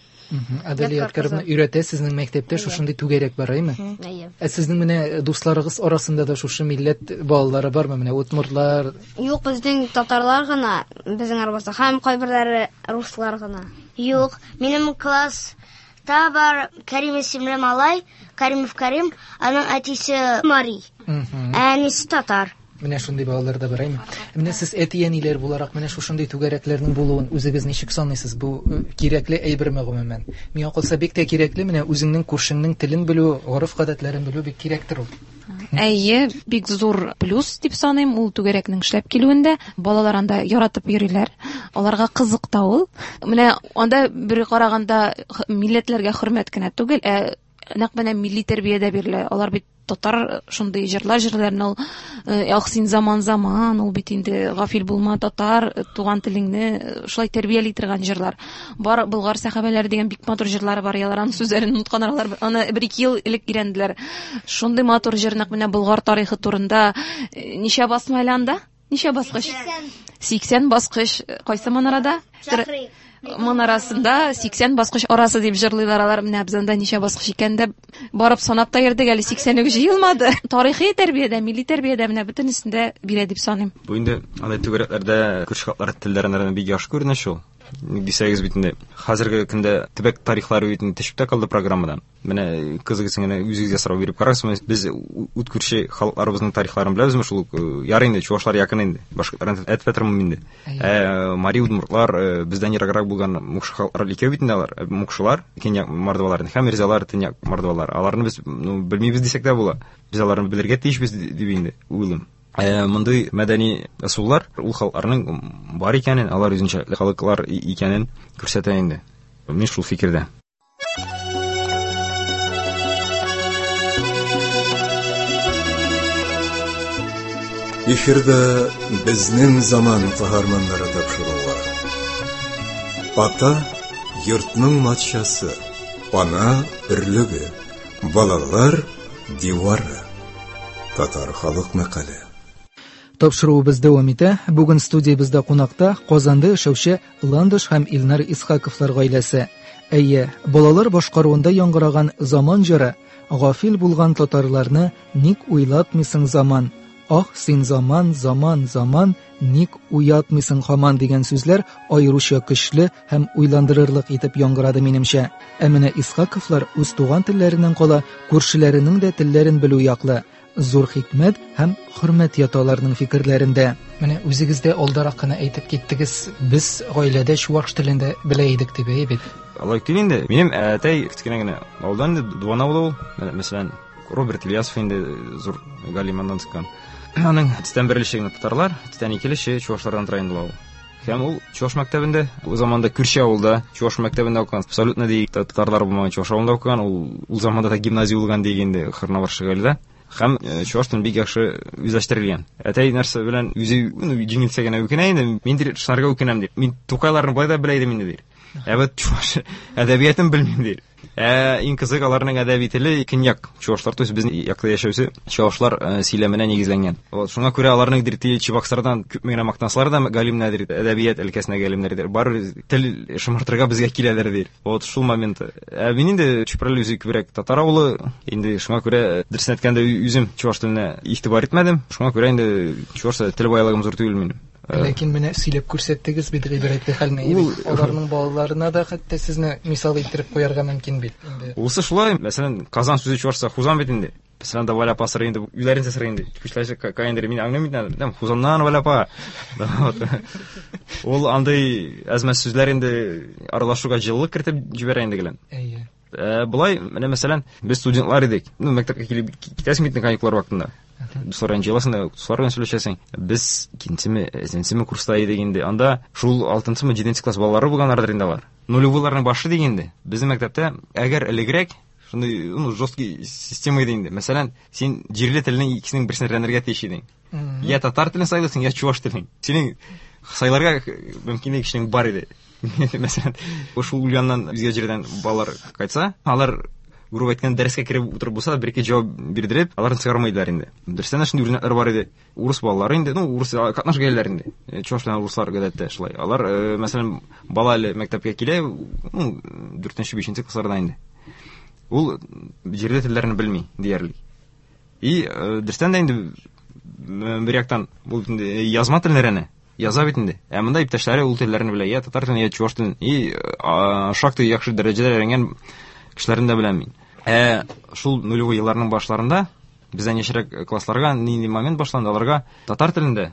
Аделя Ядкаровна өйрәтә, сезнең мәктәптә шушындый түгәрәк бар, әйме? Әйе. Ә сезнең менә дусларыгыз арасында да шушы милләт балалары бармы? Менә удмуртлар, Юк, безнең татарлар гына безнең арабызда һәм кайберләре руслар гына. Юк, минем класста бар Карим исемле малай, Каримов Карим, аның әтисе Мари, ә әнисе татар. Менә шундый балалар да бар, әйме? Менә сез әти-әниләр буларак менә шушындый түгәрәкләрнең булуын үзегез ничек саныйсыз? Бу кирәкле әйберме гомумән? Миңа калса бик тә кирәкле, менә үзеңнең күршеңнең телен белү, гореф-гадәтләрен белү бик кирәктер ул. Әйе, бик зур плюс дип саныйм ул түгәрәкнең эшләп килүендә. Балалар анда яратып йөриләр. Аларга кызык та ул. Менә анда бер караганда милләтләргә хөрмәт кенә түгел, ә нәкъ менә милли тәрбия дә бирелә. Алар бит татар шундый җырлар җырлар, ул ах син заман заман, ул бит инде гафил булма татар, туган телеңне шулай тәрбияли торган җырлар. Бар Болгар сәхабәләре дигән бик матур җырлары бар, алар аның сүзләрен онытканнар, алар аны бер-ике ел элек өйрәнделәр. Шундый матур җыр нәкъ менә Болгар тарихы турында. Ничә басма әле анда? Ничә баскыч? 80 баскыч. Кайсы манарада? Манарасында 80 баскыч арасы дип җырлыйлар алар. Менә без анда ничә баскыч икән дә барып санап та йөрдек, әле 80 үк җыелмады. Тарихи тәрбиядә, милли тәрбиядә менә бөтенесендә бирә дип саныйм. Бу инде андай түгәрәкләрдә күрше халыклар телләрен бик яхшы күренә шул. Ник дисәгез бит инде хәзерге көндә төбәк тарихлары бит инде төшеп тә калды программадан. Менә кызыгыз генә үзегезгә сорау биреп карагыз, без ут күрше халыкларыбызның тарихларын беләбезме шул ук? Ярый инде чувашлар якын инде, башкортларны әйтеп тә тормыйм инде. Ә мари, удмуртлар бездән ераграк булган мукшы халыклар икәү бит инде алар. Мукшылар, көньяк мордвалар һәм эрзялар, төньяк мордвалар. Аларны без белмибез дисәк тә була. Без аларны белергә тиешбез дип инде уйлыйм. Мондый мәдәни ысуллар ул халыкларның бар икәнен, алар үзенчәлекле халыклар икәнен күрсәтә инде. Мин шул фикердә. Эфирда безнең заман каһарманнары тапшыруы. Ата йортның матшасы, ана өрлеге, балалар дивары. Татар халык мәкале. Тапшыруыбыз дәвам итә. Бүген студиябездә кунакта Казанда яшәүче Ландыш һәм Илнар Исхаковлар гаиләсе. Әйе, балалар башкаруында яңгыраган заман җыры Гафил булган татарларны ник уйлатмыйсың заман? Ах, син заман, заман, заман, ник уятмыйсың һаман дигән сүзләр аеруча көчле һәм уйландырырлык итеп яңгырады минемчә. Ә менә Исхаковлар үз туган телләреннән кала күршеләренең дә телләрен белү яклы. Зур хикмәт һәм хөрмәт ята аларның фикерләрендә. Менә үзегез дә алдарак кына әйтеп киттегез, без гаиләдә чуваш телен дә белә идек дип, әйе бит? Алай түгел инде. Минем әтәй кечкенә генә авылдан инде, Дуван авылы ул. Мәсәлән, Роберт Ильясов инде зур галим аннан чыккан. Аның төстән бер өлеше генә татарлар, төстән ике өлеше чувашлардан тора инде ул авыл. Һәм ул чуваш мәктәбендә, ул заманда күрше авылда чуваш мәктәбендә укыган, абсолютно ди татарлар булмаган чуваш авылында укыган, ул заманда да гимназия булган ди инде Хырнавар Шыгальдә. Һәм чуваш телен бик яхшы үзләштерелгән. Әтәй нәрсә белән үзе җиңелсә генә үкенә инде, мин дир шунарга үкенәм ди. Мин Тукайларны болай да белә идем инде ди. Ә вот чуваш әдәбиятын белмим ди. Иң кызык аларның әдәби теле көньяк чувашлар, то есть безнең якта яшәүче чувашлар сөйләменә нигезләнгән. Вот шуңа күрә аларның дир Чебоксардан күпме генә мактансалар да галимнәр дир, әдәбият өлкәсенә галимнәр дир, барыбер тел шомартырга безгә киләләр дир. Вот шул момент. Ә мин инде Чүпрәле үзе күбрәк татар авылы, инде шуңа күрә дөресен әйткәндә үзем чуваш теленә игътибар итмәдем. Шуңа күрә инде чуваш тел байлыгым зур түгел минем. Ләкин менә сөйләп күрсәттегез бит гыйбрәтле хәлне. Аларның балаларына да хәтта сезне мисал иттереп куярга мөмкин бит инде. Улсы шулай, мәсәлән, Казан сүзе чувашча Хузан бит инде. Мәсәлән, да Валя апа сорый инде, үзләренчә сорый инде. Күчләше каендер, мин аңлыйм бит инде. Там Хузаннан Валя апа. Ул андый әзмәс сүзләр инде аралашуга җылылык кертеп җибәрә инде гелән. Әйе. Болай, менә мәсәлән, без студентлар идек. Ну, мәктәпкә килеп китәсең бит каникуллар вакытында. Дуслар белән җыеласың да, дуслар белән сөйләшәсең. Без икенчеме, өченчеме курста идек инде. Анда шул алтынчымы, җиденче класс балалары булганнардыр инде алар. Нулевыйларның башы дигән инде. Безнең мәктәптә әгәр элегрәк шундый, ну, жесткий система иде инде. Мәсәлән, син җирле телнең икесенең берсен өйрәнергә тиеш идең. Я татар телен сайлыйсың, я чуваш телен. Синең сайларга мөмкинлек кешенең бар иде. Мәсәлән, шул Ульяннан үзгә җирдән балалар кайтса, алар грубо әйткәндә дәрескә кереп утырып булса да бер-ике җавап бирдереп, аларны чыгармыйлар инде. Дөрестән дә шундый үрнәкләр бар иде. Урыс балалары инде, ну, урыс катнаш гаиләләр инде. Чуваш белән урыслар гадәттә шулай. Алар, мәсәлән, бала әле мәктәпкә килә, ну, дүртенче, бишенче классларда инде. Ул җирле телләрне белми диярлек. И дөрестән дә инде бер яктан бу инде язма телен өйрәнә. Яза бит инде. Ә монда иптәшләре ул телләрне белә, я татар телен, я чуваш телен. И шактый яхшы дәрәҗәдә өйрәнгән кешеләрне дә беләм мин. Ә шул нулевой елларның башларында бездән яшьрәк классларга нинди момент башланды, аларга татар телендә,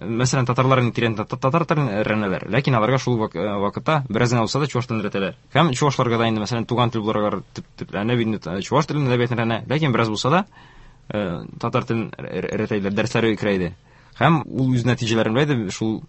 мәсәлән, татарлар инде тирән татар телен өйрәнәләр, ләкин аларга шул вакытта бераз генә булса да чуваш телен өйрәтәләр. Һәм чувашларга да инде, мәсәлән, туган тел буларак төпләнеп инде чуваш телен әдәбиятын өйрәнә, ләкин бераз булса да татар телен өйрәтәләр, дәресләре керә иде. Һәм ул үз нәтиҗәләрен белә иде, шул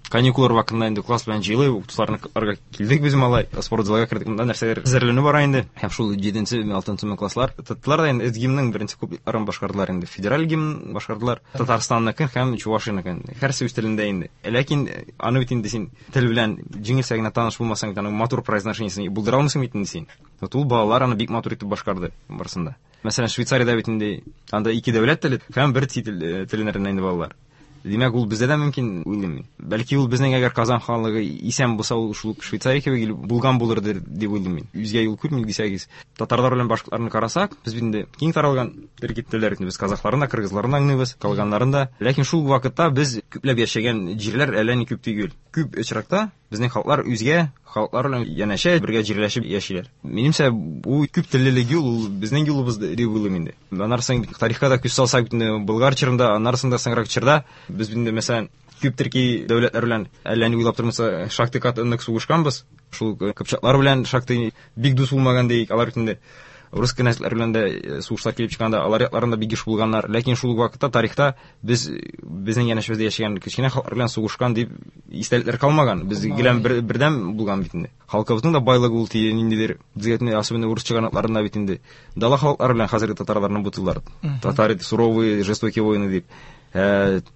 каникуллар вакытында инде класс белән җыелып, укытучыларга килдек без малай, спортзалга кердек, монда нәрсәләр әзерләнү бара инде. Һәм шул җиденче, алтынчы класслар тоттылар да инде гимнның беренче куплетларын башкардылар инде. Федераль гимн башкардылар, Татарстанныкын һәм Чувашияныкын. Һәрсе үз телендә инде. Ләкин аны бит инде син тел белән җиңелчә генә таныш булмасаң, аның матур произношениесен булдыра алмыйсың бит инде син. Вот ул балалар аны бик матур итеп башкарды барысында. Мәсәлән, Швейцариядә бит инде анда ике дәүләт теле һәм бер чит телен өйрәнә инде балалар. Димәк, ул бездә дә мөмкин, уйлыйм мин. Бәлки ул безнең әгәр Казан ханлыгы исән булса, ул шул ук Швейцария кебек ил булган булыр дип уйлыйм мин. Үзгә юл күрмим дисәгез. Татарлар белән башкортларны карасак, без бит инде киң таралган төрки телләр, без казахларны да, кыргызларны да аңлыйбыз, калганнарын да. Ләкин шул вакытта без күпләп яшәгән җирләр әллә ни күп түгел. Күп очракта безнең халыклар үзгә халыклар белән янәшә бергә җирләшеп яшиләр. Минемчә, бу күп теллелек юл, ул безнең юлыбыз дип уйлыйм инде. Аннары соң тарихка да күз салсак, бит инде Болгар чорында, аннары соң да соңрак чорда без бит инде, мәсәлән, күп төрки дәүләтләр белән әллә ни уйлап тормыйча шактый каты нык сугышканбыз. Шул кыпчаклар белән шактый бик дус булмаган диек, алар бит инде рус кенәзләре белән дә сугышлар килеп чыкканда алар якларында бик еш булганнар. Ләкин шул ук вакытта тарихта без безнең янәшәбездә яшәгән кечкенә халыклар белән сугышкан дип истәлекләр калмаган. Без гелән бердәм булган бит инде. Халкыбызның да байлыгы ул тие ниндидер, безгә инде, особенно урыс чыганакларында бит инде дала халыклары белән хәзерге татарларны бутыйлар. Татары суровые, жестокие воины дип.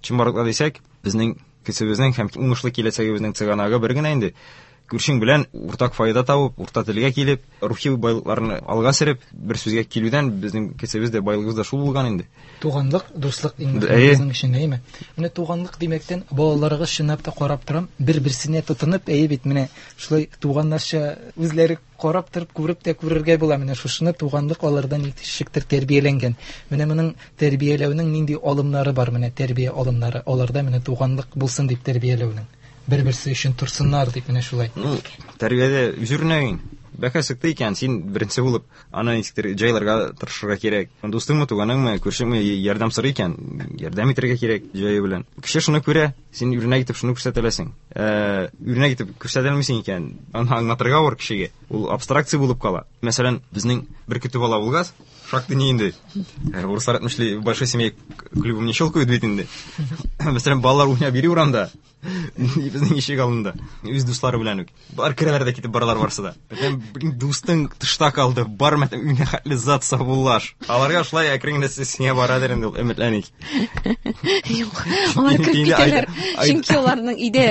Чынбарлыкта дисәк, безнең көчебезнең һәм уңышлы киләчәгебезнең чыганагы бер генә инде. Күршең белән уртак файда табып, урта телгә килеп, рухи байлыкларны алга сөреп, бер сүзгә килүдән безнең көчебез дә, байлыгыбыз да шул булган инде. Туганлык, дуслык иң мөһиме безнең өчен, әйеме? Менә туганлык димәктән, балаларыгыз чынлап та карап торам, бер-берсенә тотынып, әйе бит, менә шулай туганнарча үзләре карап торып, күреп тә күрергә була. Менә шушыны туганлык алардан ничектер тәрбияләнгән. Менә моның тәрбияләүнең нинди алымнары бар, менә тәрбия алымнары аларда менә туганлык булсын дип тәрбияләүнең. Бер-берсе өчен торсыннар дип менә шулай. Ну, тәрбиядә үз үрнәгең. Бәка сыкты икән, син беренче булып аны ничектер җайларга тырышырга кирәк. Дустыңмы, туганыңмы, күршеңме ярдәм сорый икән, ярдәм итәргә кирәк җае белән. Кеше шуны күрә, син үрнәк итеп шуны күрсәтә аласың. Үрнәк итеп күрсәтә алмыйсың икән, аны аңлатырга авыр кешегә. Ул абстракция булып кала. Мәсәлән, безнең бер көтү бала булгач, шактый ни инде. Урыслар әйтмешли, большой семье клювом не щелкают бит инде. Мәсәлән, балалар уйнап йөри урамда. Безнең ишек алдында. Үз дуслары белән үк. Бар керәләр дә китеп баралар барсы да. Мәсәлән, блин, дустың тышта калды, бар мәсәлән, өенә хәтле зат саубуллаш. Аларга шулай әкрен генә сиңа барадыр инде ул, өметләник. Юк, алар кереп Инде китәләр. Чөнки аларның өйдә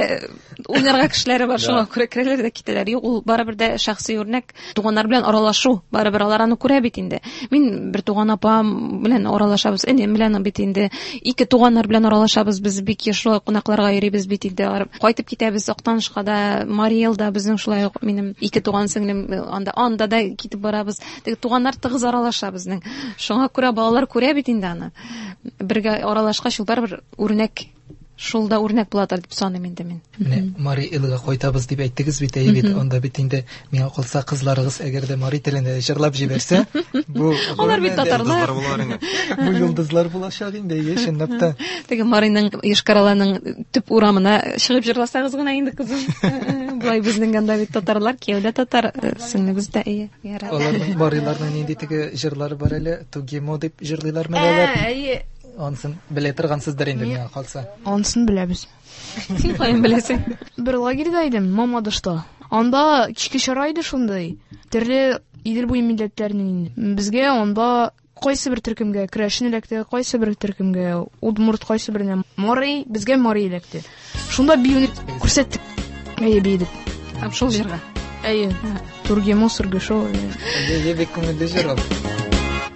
уйнарга кешеләре бар, шуңа күрә керәләр дә китәләр. Юк, ул барыбер дә шәхси үрнәк, туганнар белән аралашу, барыбер алар аны күрә бит инде. Мин бер туган апам белән аралашабыз, энем белән бит инде, ике туганнар белән аралашабыз, без бик еш шулай кунакларга йөрибез бит инде. Алар кайтып китәбез Актанышка да, Марий Элда безнең шулай ук минем ике туган сеңлем анда, анда да китеп барабыз. Теге туганнар тыгыз аралаша безнең. Шуңа күрә балалар күрә бит инде аны. Бергә аралашкач, ул барыбер үрнәк, шул да үрнәк буладыр дип саныйм инде мин. Менә Марий Элга кайтабыз дип әйттегез бит, әйе бит. Анда бит инде миңа калса кызларыгыз әгәр дә мари телендә җырлап җибәрсә, бу Алар бит гомумән дә татарлар. Йолдызлар булалар инде. Бу йолдызлар булачак инде, әйе, чынлап та. Теге Марийның Йошкар-Оланың төп урамына чыгып җырласагыз гына инде, кызым. Болай безнең анда бит татарлар, кияү дә татар, сеңлебез дә, әйе. Ярар. Аларның мариларның нинди теге җырлары бар әле, Тугимо дип җырлыйлармы әле алар? Әйе. Ансын белә торгансыздыр инде, миңа калса. Ансын беләбез. Син каян беләсең? Бер лагерьда идем, Мамадышта. Анда кичке чара иде шундый. Төрле Идел буе милләтләренең инде. Безгә анда кайсы бер төркемгә керәшен эләкте, кайсы бер төркемгә удмурт, кайсы беренә мари, безгә мари эләкте. Шунда биюне күрсәттек. Әйе, биедек. Һәм шул җырга. Әйе. Тургемо, Сургышо. Әйе, әйе, бик күңелле җыр ул.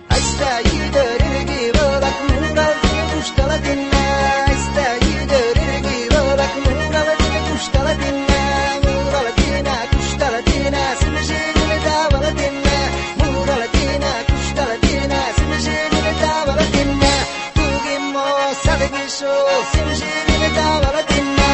Айста йөрерге булак, муралды куштала тинна. Айста йөрерге булак, муралды куштала тинна. Мурала тина, куштала тина, симжине давала тинна. Мурала тина, куштала тина, симжине давала тинна. Тугимо садгишо, симжине давала тинна.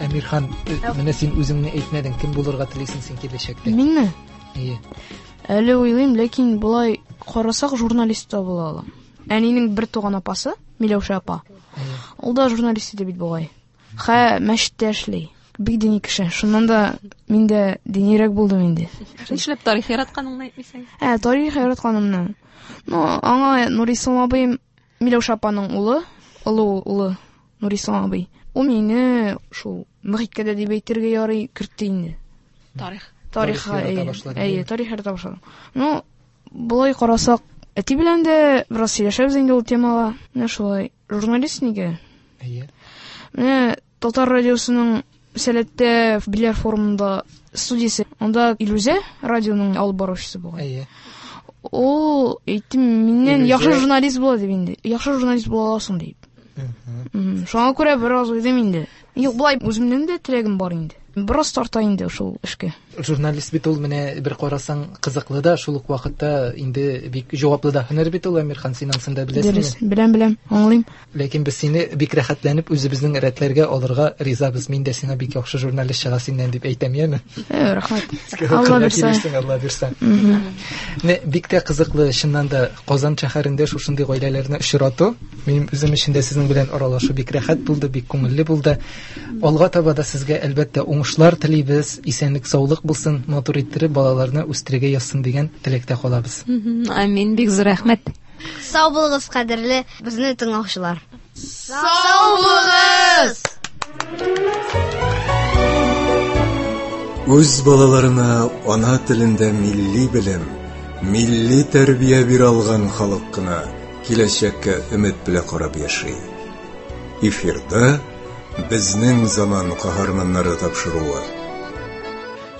Әмирхан, менә син үзеңне әйтмәдең, кем булырга телисең син киләчәктә? Минме? Әйе. Әле уйлыйм, ләкин болай карасак журналист та була алам. Әнинең бер туган апасы, Миләүшә апа. Әйе. Ул да журналист иде бит бугай. Хә мәчеттә эшли. Бик дини кеше. Шуннан да мин дә динирәк булдым инде. Нишләп тарих яратканыңны әйтмисең? Ә, тарих яратканымны. Ну, аңа Нурислам абыем Миләүшә апаның улы, олы улы Нурислам абый. Ул мине шул мөхиткә дә дип әйтергә ярый кертте инде. Тарих. Тарихка, Тарих ярата әйе. башладың, Әйе, әйе. тарих ярата башладым. Ну, болай карасак, әти белән дә бераз сөйләшәбез инде ул темага. Менә шулай. Журналист нигә? Әйе. Менә Татар радиосының Сәләттә Биләр форумында студиясе. Анда Илүзә радионың алып баручысы бугай. Әйе. Ул әйтте, миннән Илүзә- яхшы журналист була дип инде. Яхшы журналист була аласың дип. Шуңа күрә бераз уйлыйм инде. Юк, болай үземнең дә теләгем бар инде. Бераз тарта инде шул эшкә. Журналист бит ул менә бер карасаң кызыклы да, шул ук вакытта инде бик җаваплы да һөнәр бит ул, Әмирхан, син анысын да беләсеңме? Дөрес, беләм, беләм, аңлыйм. Ләкин без сине бик рәхәтләнеп үзебезнең рәтләргә алырга ризабыз. Мин дә сиңа бик яхшы журналист чыга синнән дип әйтәм, яме? Э, рәхмәт. Алла бирсә. Килерсең, Алла бирсә. Менә бик тә кызыклы, чыннан да Казан шәһәрендә шушындый гаиләләрне очрату. Минем үзем өчен дә сезнең белән аралашу бик рәхәт булды, бик күңелле булды. Алга таба да сезгә әлбәттә уңышлар телибез, исәнлек, саулык булсын, матур иттереп балаларны үстерергә язсын дигән теләктә калабыз. Амин, бик зур рәхмәт. Сау булыгыз, кадерле безне тыңлаучылар. Сау булыгыз! Үз балаларына ана телендә милли белем, милли тәрбия бирә алган халык кына киләчәккә өмет белән карап яши. Эфирда безнең заман каһарманнары тапшыруы.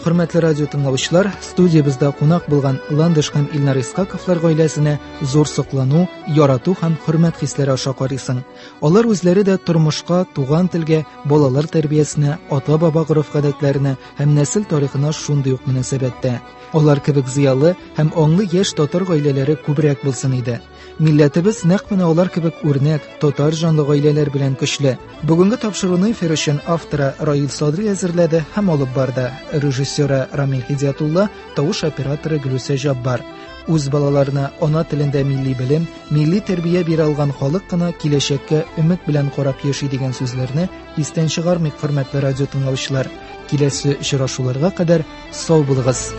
Хөрмәтле радио тыңлаучылар, студиябездә кунак булган Ландыш һәм Илнар Исхаковлар гаиләсенә зур соклану, ярату һәм хөрмәт хисләре аша карыйсың. Алар үзләре дә тормышка, туган телгә, балалар тәрбиясенә, ата-баба гореф-гадәтләренә һәм нәсел тарихына шундый ук мөнәсәбәттә. Алар кебек зыялы һәм аңлы яшь татар гаиләләре күбрәк булсын иде. Милләтебез нәкъ менә алар кебек үрнәк, татар җанлы гаиләләр белән көчле. Бүгенге тапшыруны эфир өчен авторы Раил Садри әзерләде һәм алып барды. Режиссеры Рамил Һидиятулла, тавыш операторы Гөлүсә Җаббар. Үз балаларына ана телендә милли белем, милли тәрбия бирә алган халык кына киләчәккә өмет белән карап яши дигән сүзләрне истән чыгармыйк, хөрмәтле радио тыңлаучылар. Киләсе очрашуларга кадәр сау булыгыз.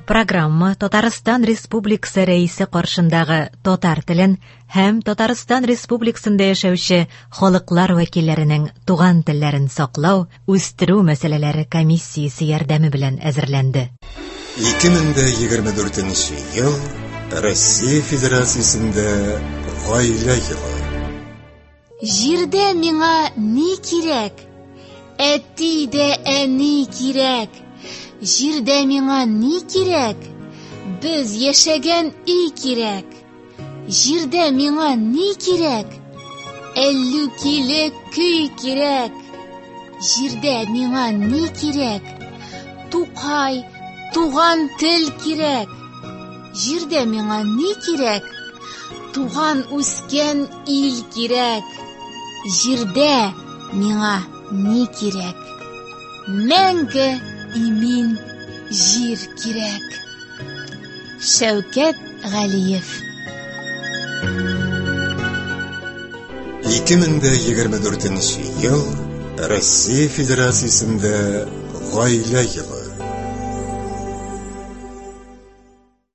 Программа Татарстан Республикасы Рәисе каршындагы татар телен һәм Татарстан Республикасында яшәүче халыклар вәкилләренең туган телләрен саклау, үстерү мәсьәләләре комиссиясе ярдәме белән әзерләнде. 2024 ел Россия Федерациясендә гаилә елы. Җирдә миңа ни кирәк? Әти дә әни кирәк. Җирдә миңа ни кирәк? Без яшәгән өй кирәк. Җирдә миңа ни кирәк? Әллүкиле көй кирәк. Җирдә миңа ни кирәк? Тукай, туган тел кирәк. Җирдә миңа ни кирәк? Туган үскән ил кирәк. Җирдә миңа ни кирәк? Мәңге имин җир кирәк. Шәүкәт Галиев. 2024 ел Россия Федерациясендә гаилә елы.